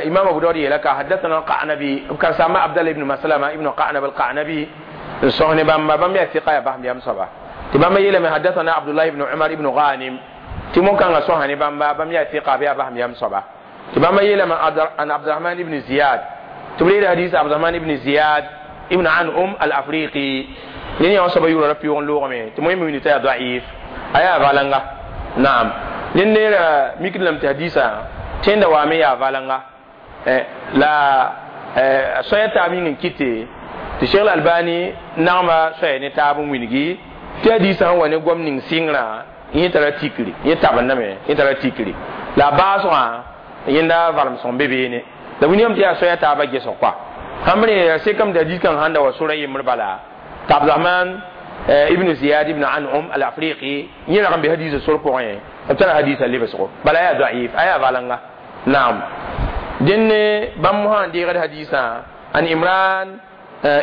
imam abu daud yeela ka hadathana alqanabi karsama abdallah ibn maslama ibn qanab alqanabi n sõs ne bãmba bãmb yaa fiqa yaa basem yam soaba tɩ bãmba yeelame hadathana abdullah ibn umar ibn ghanim tɩ mo-kãngã sõsa ne bãmba bãmb yaa fiqa bɩ yaa basem yam soaba tɩ bãmba yeelame an abdurahman ibn ziyad tɩ b reeda hadis abdurahman ibn ziyad ibn anum al-afriqi ned yã wã soaba yʋʋra ra pɩʋg n loogame tɩ moẽ me wilg t'a yaa daif a yaa valanga naam ned neera mikd lame tɩ hadisã tẽnda waame yaa valanga la soaya taab yĩng n kɩte tɩ Cheikh Albani nagma soaya ne taab n wilgi tɩ hadisã sẽn wa ne goam ning sɩngrã yẽ tara tikri yẽ tabendame yẽ tara tikri la a baasgã yẽnda valem sõng be beene la wilgame tɩ yaa soaya taabã gesg koa sãmb re sekame tɩ hadis kãng sãn da wa sora yembr bala tɩ Abdurahman ibn Ziyad ibn Anum al-Afriqi yẽ rag n be hadisã sor pʋgẽ b tara hadisã lebsgo bala yaa daif a yaa valanga naam dẽnd bãmb mosã n deegd hadisã an Imran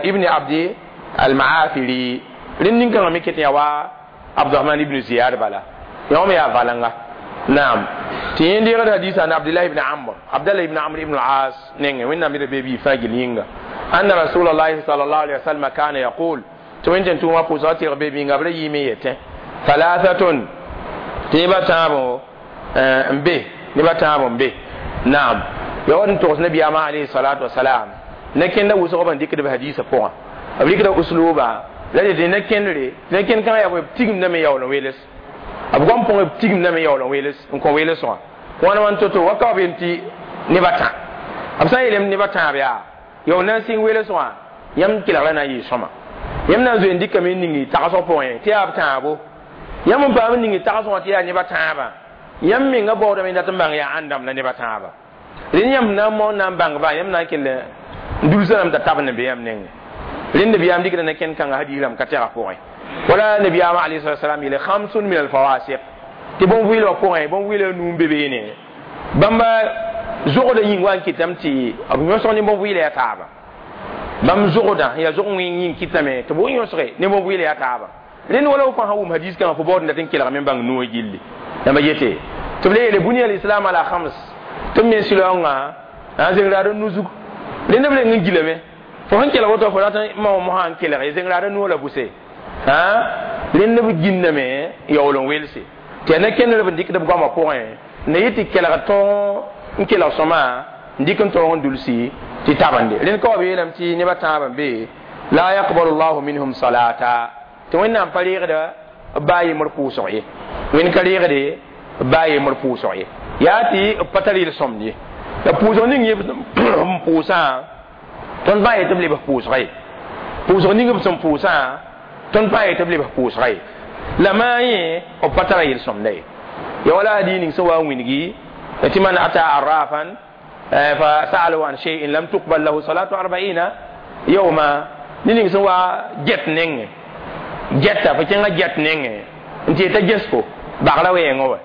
ibn Abdi al-Maafiri rẽnd nin-kãngã me ket n yaa wa Abdurahman ibn Ziyad bala yã me yaa valanga naam tɩ yẽ deegd hadisã an Abdullah ibn Amr Abdallah ibn Amr ibn al-As nengẽ wẽnnaam d be bi fãa gil yĩnga anna Rasulullah sallallahu alaihi wasallam kana yaqul tɩ wẽn tẽn-tʋʋmã pʋʋsga tɩrg be bĩnga b ra yɩɩme yetẽ thalathatun tɩ yẽba tãabo n be Neba tãab n be naam ya wa n togs nabiyaamã alayhi salatu wasalam ne kẽnda wʋsg b n dɩkd b hadiisã pʋgã b rɩkda usluba la dɩ ne kẽndre ne kẽnd kãngã yaa b tigimdame yaool n weels b goam pʋgẽ b tigimdame yaool n weels n kõ weels wã wãn wãn to-to wa ka b yem tɩ neba tã b sã n yeelame neba tãab yaa yaool na n sɩng weels wã yãmb kelg la na n yɩ sõma yãmb na n zoe n dɩkame n ning tagsg pʋgẽ tɩ yaa b tãabo yãmb n paam n ning tagsg wã tɩ yaa neba tãabã yãmb menga baoodame dat n bãng yaa ãndame la neba tãaba rẽnd yãmb na n maoon na n bãngba yãmb na n kell n dulsa rãmb t'a tab n be yãmb nengẽ rẽnd nabiyaam dɩkda ne kẽnd kãngã hadiis rãmb ka tɛga pʋgẽ wala nabiyaamã alayhi salatu wasalam yeele khamsun min alfawasiq tɩ bõn-vɩɩlbã pʋgẽ bõn-vɩɩlã nuu n be beene bãmba zogdã yĩng wa n kɩtame tɩ b yõsg ne bõn-vɩɩlã yaa taaba bãmb zogdã yaa zog wẽng yĩng kɩtame tɩ b yõsge ne bõn-vɩɩlã yaa taaba rẽnd wala f fãa sã wʋm hadiis kãngã fo baood n dat n kelgame n bãng noog gilli yãmba yete tɩ b le yeele bunia lislam ala khams tɩ b me sɩlaoongã a zeng raad n nu-zug rẽnd b reng n gilame fo sẽn kelg woto fo rat n mao mosã n kelg zeng raad n noog la buse rẽnd b gĩnname yaool n welse tɩ yaa ne kẽndr b n dɩkd b goamã pʋgẽ na yɩ tɩ kelg tõog n kelg sõma n dɩk n tõog n dulsi tɩ tabende rẽnd ka wa b yeelame tɩ nebã tãab n be la yaqbalu llahu minhum salata tɩ wẽnnaam pa reegda b baa yembr pʋʋsg ye wẽnd ka reegde b baa yembr pʋʋsg ye yaa tɩ b pa tar yel-sõmd ye la pʋʋsg ning yẽ n pʋʋsã tõnd pa yetɩ b lebs pʋʋsga ye pʋʋsg ning b sẽn pʋʋsã tõnd pa yetɩ b lebs pʋʋsga ye la maa yẽ b pa tara yel-sõmda ye ya wala hadi ning sẽn wa n wĩngi tɩ man ata arrafan fa sa'alahu an shay'in lam tuqbal lahu salatu arba'ina yawma ne ning sẽn wa get nengẽ gɛta fo kẽngã gɛt nengẽ n tɩ yeta ges-fo bagra wɛɛngã wa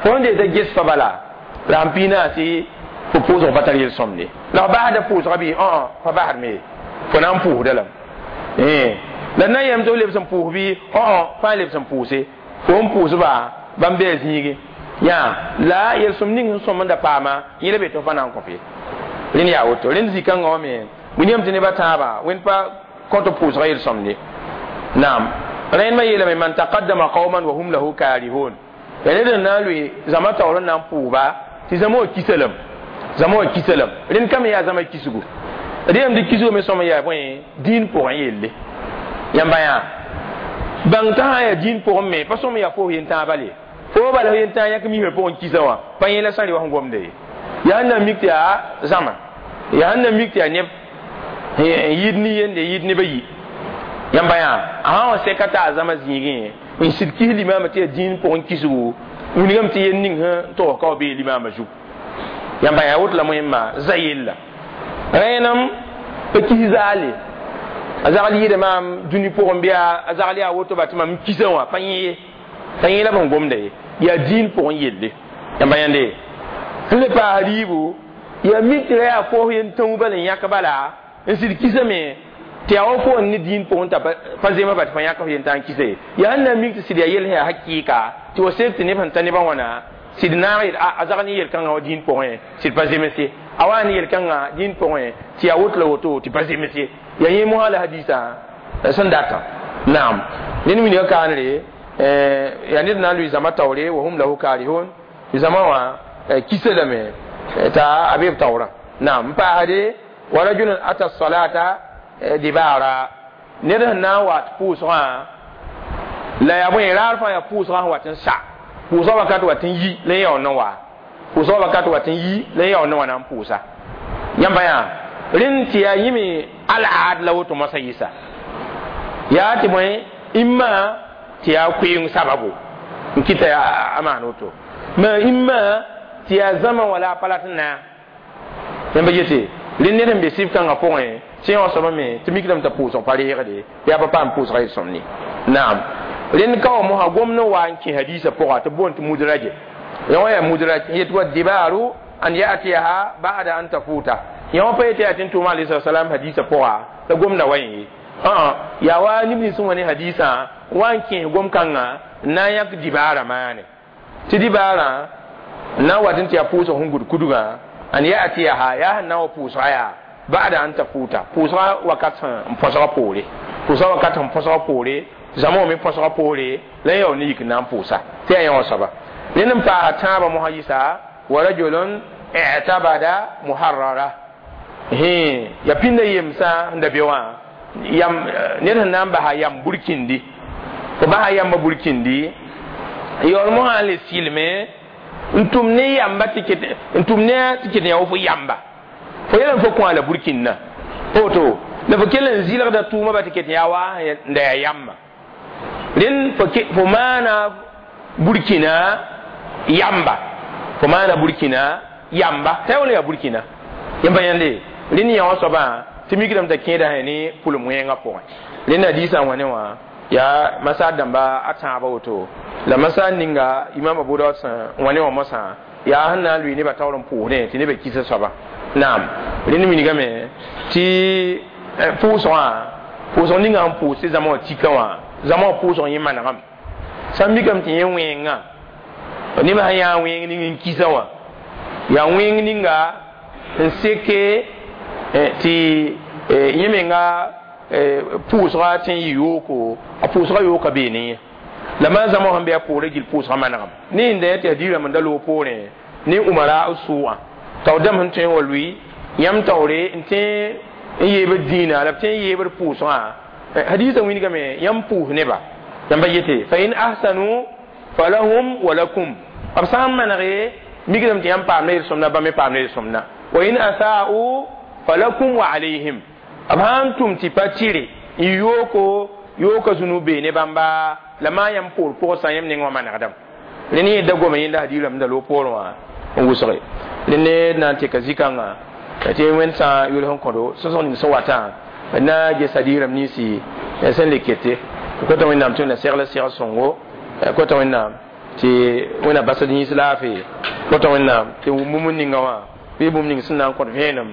fo n deeta ges fa bala la n piinã tɩ fo pʋʋsg pa tar yel-sõmde la f basda pʋʋsga bɩ fa basdme ye fo na n pʋʋsda lame la na n yɛm tɩ f lebs n pʋʋs bɩ fãa lebs n pʋʋse fo n pʋʋsba bãmb bɩ a zĩige yaa la yel-sõm ning sẽn sõm n da paama yẽ la be tɩ f pa na n kõp ye rẽnd yaa woto rẽnd zĩ-kãngã wã me william tɩ nebã tãabã wẽnd pa kõ tɩ pʋʋsga yel-sõmde naam rẽndmã yeelame man taqaddama qauman wa hum lahu karihun ya ned n na n lʋɩ zãma taoor n na n pʋʋba tɩ zãma wã kisa lame zãma wã kisa lame rẽnd ka me yaa zãma kisgu d yeelame tɩ kisgo me sõm n yaa bõe dĩin pʋgẽ yelle yãmba yaa bãng t'a sã n yaa dĩin pʋgẽ me pa sõm n yaa fo yentãag bal ye fo bala yentãag yãk mismã pʋgẽ kisa wã pa yẽ la sã n re wa sẽn gomda ye yaa sẽn na n mik tɩ yaa zãma yaa sẽn na n mik tɩ yaa neb n yɩɩd nin-yende yɩɩd neb a yi yãmba yaa a sã n wa sɛka t'a a zãma zĩigẽ n sɩd kis limaamã tɩ yaa dĩin pʋgẽ kisgu wilgame tɩ yel ning sẽn togs ka wa bee limaamã zug yãmba yaa woto la moẽmma za yella rẽenem pa kis zaale a zagl yɩɩda maam dũni pʋgẽ bɩ a zagl yaa woto ba tɩ mam n kisa wã pa yẽ ye pa yẽ la b sẽn gomda ye yaa dĩin pʋgẽ yelle yãmba yãnde sẽn le paas riibu yaa mik tɩ ra yaa foos yen tãu bal n yãk bala n sɩd kisame tɩ yaa wa fo n ne dĩin pʋgẽ t'a pa zema ba tɩ fa yãk f yen tã n kisa ye yaa sẽn na n mik tɩ sɩd yaa yell sẽn yaa hakɩɩka tɩ wa sek tɩ neb sẽn ta nebã wãna sɩd naag yel a zag ne yel-kãngã wa dĩin pʋgẽ sɩd pa zems ye a wa ne yel-kãngã dĩin pʋgẽ tɩ yaa woto la woto tɩ pa zems ye yaa yẽ mosã la hadiisã sẽn datã naam ned wilga kaanre yaa ned na n lʋɩ zãma taoore wa hum lahu karihun zãma wã kisa lame t'a a be b taoorã naam n paasde wa rajulun ata salata dibara ned sẽn na n wa tɩ pʋʋsgã la yaa bõe raar fãa yaa pʋʋsgã sẽn wat n sa pʋʋsgã wakat wat n yi la yaool n wa pʋʋsgã wakat wat n yi la yaool n wa na n pʋʋsa yãmba yaa rẽnd tɩ yaa yĩme alaad la woto moasã yɩsa yaa tɩ bõe imma tɩ yaa koeeng sababu n kɩta a maan woto ma imma tɩ yaa zãma wala a pa rat n na yãmba yete rẽnd ned n be sɩf kãngã pʋgẽ tɩ yã wã soaba me tɩ mikdame t'a pʋʋsg pa reegde yaa pa paam pʋʋsga yel-sõmd ye naam rẽnd ka wa mosã gomd n wa n kẽ hadiisã pʋga tɩ boond tɩ mudraje yã wã yaa mudraj n yet wa dibaaru an yatiyaha ba'da an tafuta yã wã pa yetɩ yaa tɩ n tʋʋma alayhi salam hadiisã pʋga la gomda wa yẽ ye yaa wa neb nins sẽn wa ne hadiisã wa n kẽes gom-kãngã n na n yãk dibaarã maane tɩ dibaarã n na n wat n tɩ yaa pʋʋsg sẽn gʋd kudgã an yatiyaha yaa sẽn na n wa pʋʋsga yaa ba'da an tafuta pʋʋsga wakat sẽn põsga poore pʋʋsga wakat sẽn põsga poore zãma wã me põsga poore la yaool ne yik n na n pʋʋsa tɩ yaa yã wã soaba rẽnd n paasa tãabã mosã yɩsa Wa rajulun i'tabada muharrara he ya pinda yemsa nda be wã yam ned sẽn na n basa yam burkindi fo basa yamba burkindi yaool mosã le sɩlme n tʋm ne yamba tɩ ket n tʋm ne tɩ ket yã fo yamba fo yɛl fo kõ la burkinna woto la fo kell n zɩlgda tʋʋma ba tɩ ket yaa wa n da yaa yamba rẽnd fo maana burkina yamba fo maana burkina yamba t'a wala yaa burkina yãmb yãnde rẽnd yã wã soabã tɩ mikdame t'a kẽeda sẽ ne pʋlem wẽengã pʋgẽ rẽnd hadiisã wã ne wã yaa masaar dãmba a tãabã woto la masaar ninga imam abu daud sẽn wã ne wã mosã yaa sẽn na n lʋɩ nebã taoor n pʋʋsdẽ tɩ nebã kisa soaba naam rẽnd wilgame tɩ pʋʋsgã pʋʋsg ninga sẽn pʋʋs tɩ zãma wã tika wã zãma wã pʋʋsg yẽ manegame sã n mikame tɩ yẽ wẽengã nebã sẽn yaa wẽeng ning n kisa wã yaa wẽeng ninga n seke tɩ yẽ menga pʋʋsga tɩ n yɩ yooko a pʋʋsga yooka bee ne yẽ la maa zãma sẽn be a poorã gill pʋʋsga manegame ne yẽnda tɩ yaa rãmb n da loog poorẽ ne umara b sʋʋgã tao dãmb sẽn tõe n wa lʋɩ yãmb taoore n tẽ n yeebd dĩinã la b tẽ n yeebd pʋʋsgã hadiisã wilgame yãmb pʋʋs neba yãmba yete fa in ahsanu falahum wa lakum b sã n manege mikdame tɩ yãmb paam yel-sõmda bãmb me paam yel-sõmda wa in asa'u falakum wa alayhim b sã n tʋm tɩ pa tɩre n yooko yooka zũnu bee ne bãmba la maa yãmb poor pʋgsã yãmb neng wã manegdame rẽnd yẽ da goma yẽnda hadiis rãmb da loog poorẽ wã n wʋsge rẽnd ne na n teka zikãngã tɩ wẽnd sã n yʋls n kõdo sõsg ning sẽn watã na ges hadiis rãmb ninsi sẽn le kete kota wẽnnaam tɩ wẽnna segl segl sõngo kota wẽnnaam tɩ wẽnna basd yĩns laafee kota wẽnnaam tɩ bũmb ninga wã bɩ bũmb ning sẽn na n kõt vẽenem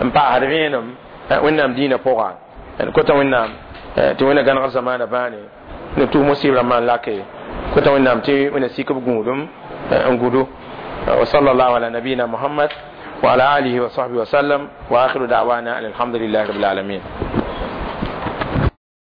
n paasd vẽenem wẽnnaam dĩinã pʋga kota wẽnnaam tɩ wẽnna gãnegr zamaana bãane ne tʋʋm sɩɩb rãmbã n lake kota wẽnnaam tɩ wẽnna sik b gũudum n gudu wa sallallahu ala nabiyina muhammad wa ala alihi wa sahbihi wa sallam wa akhiru da'wana alhamdulillahi rabbil alamin.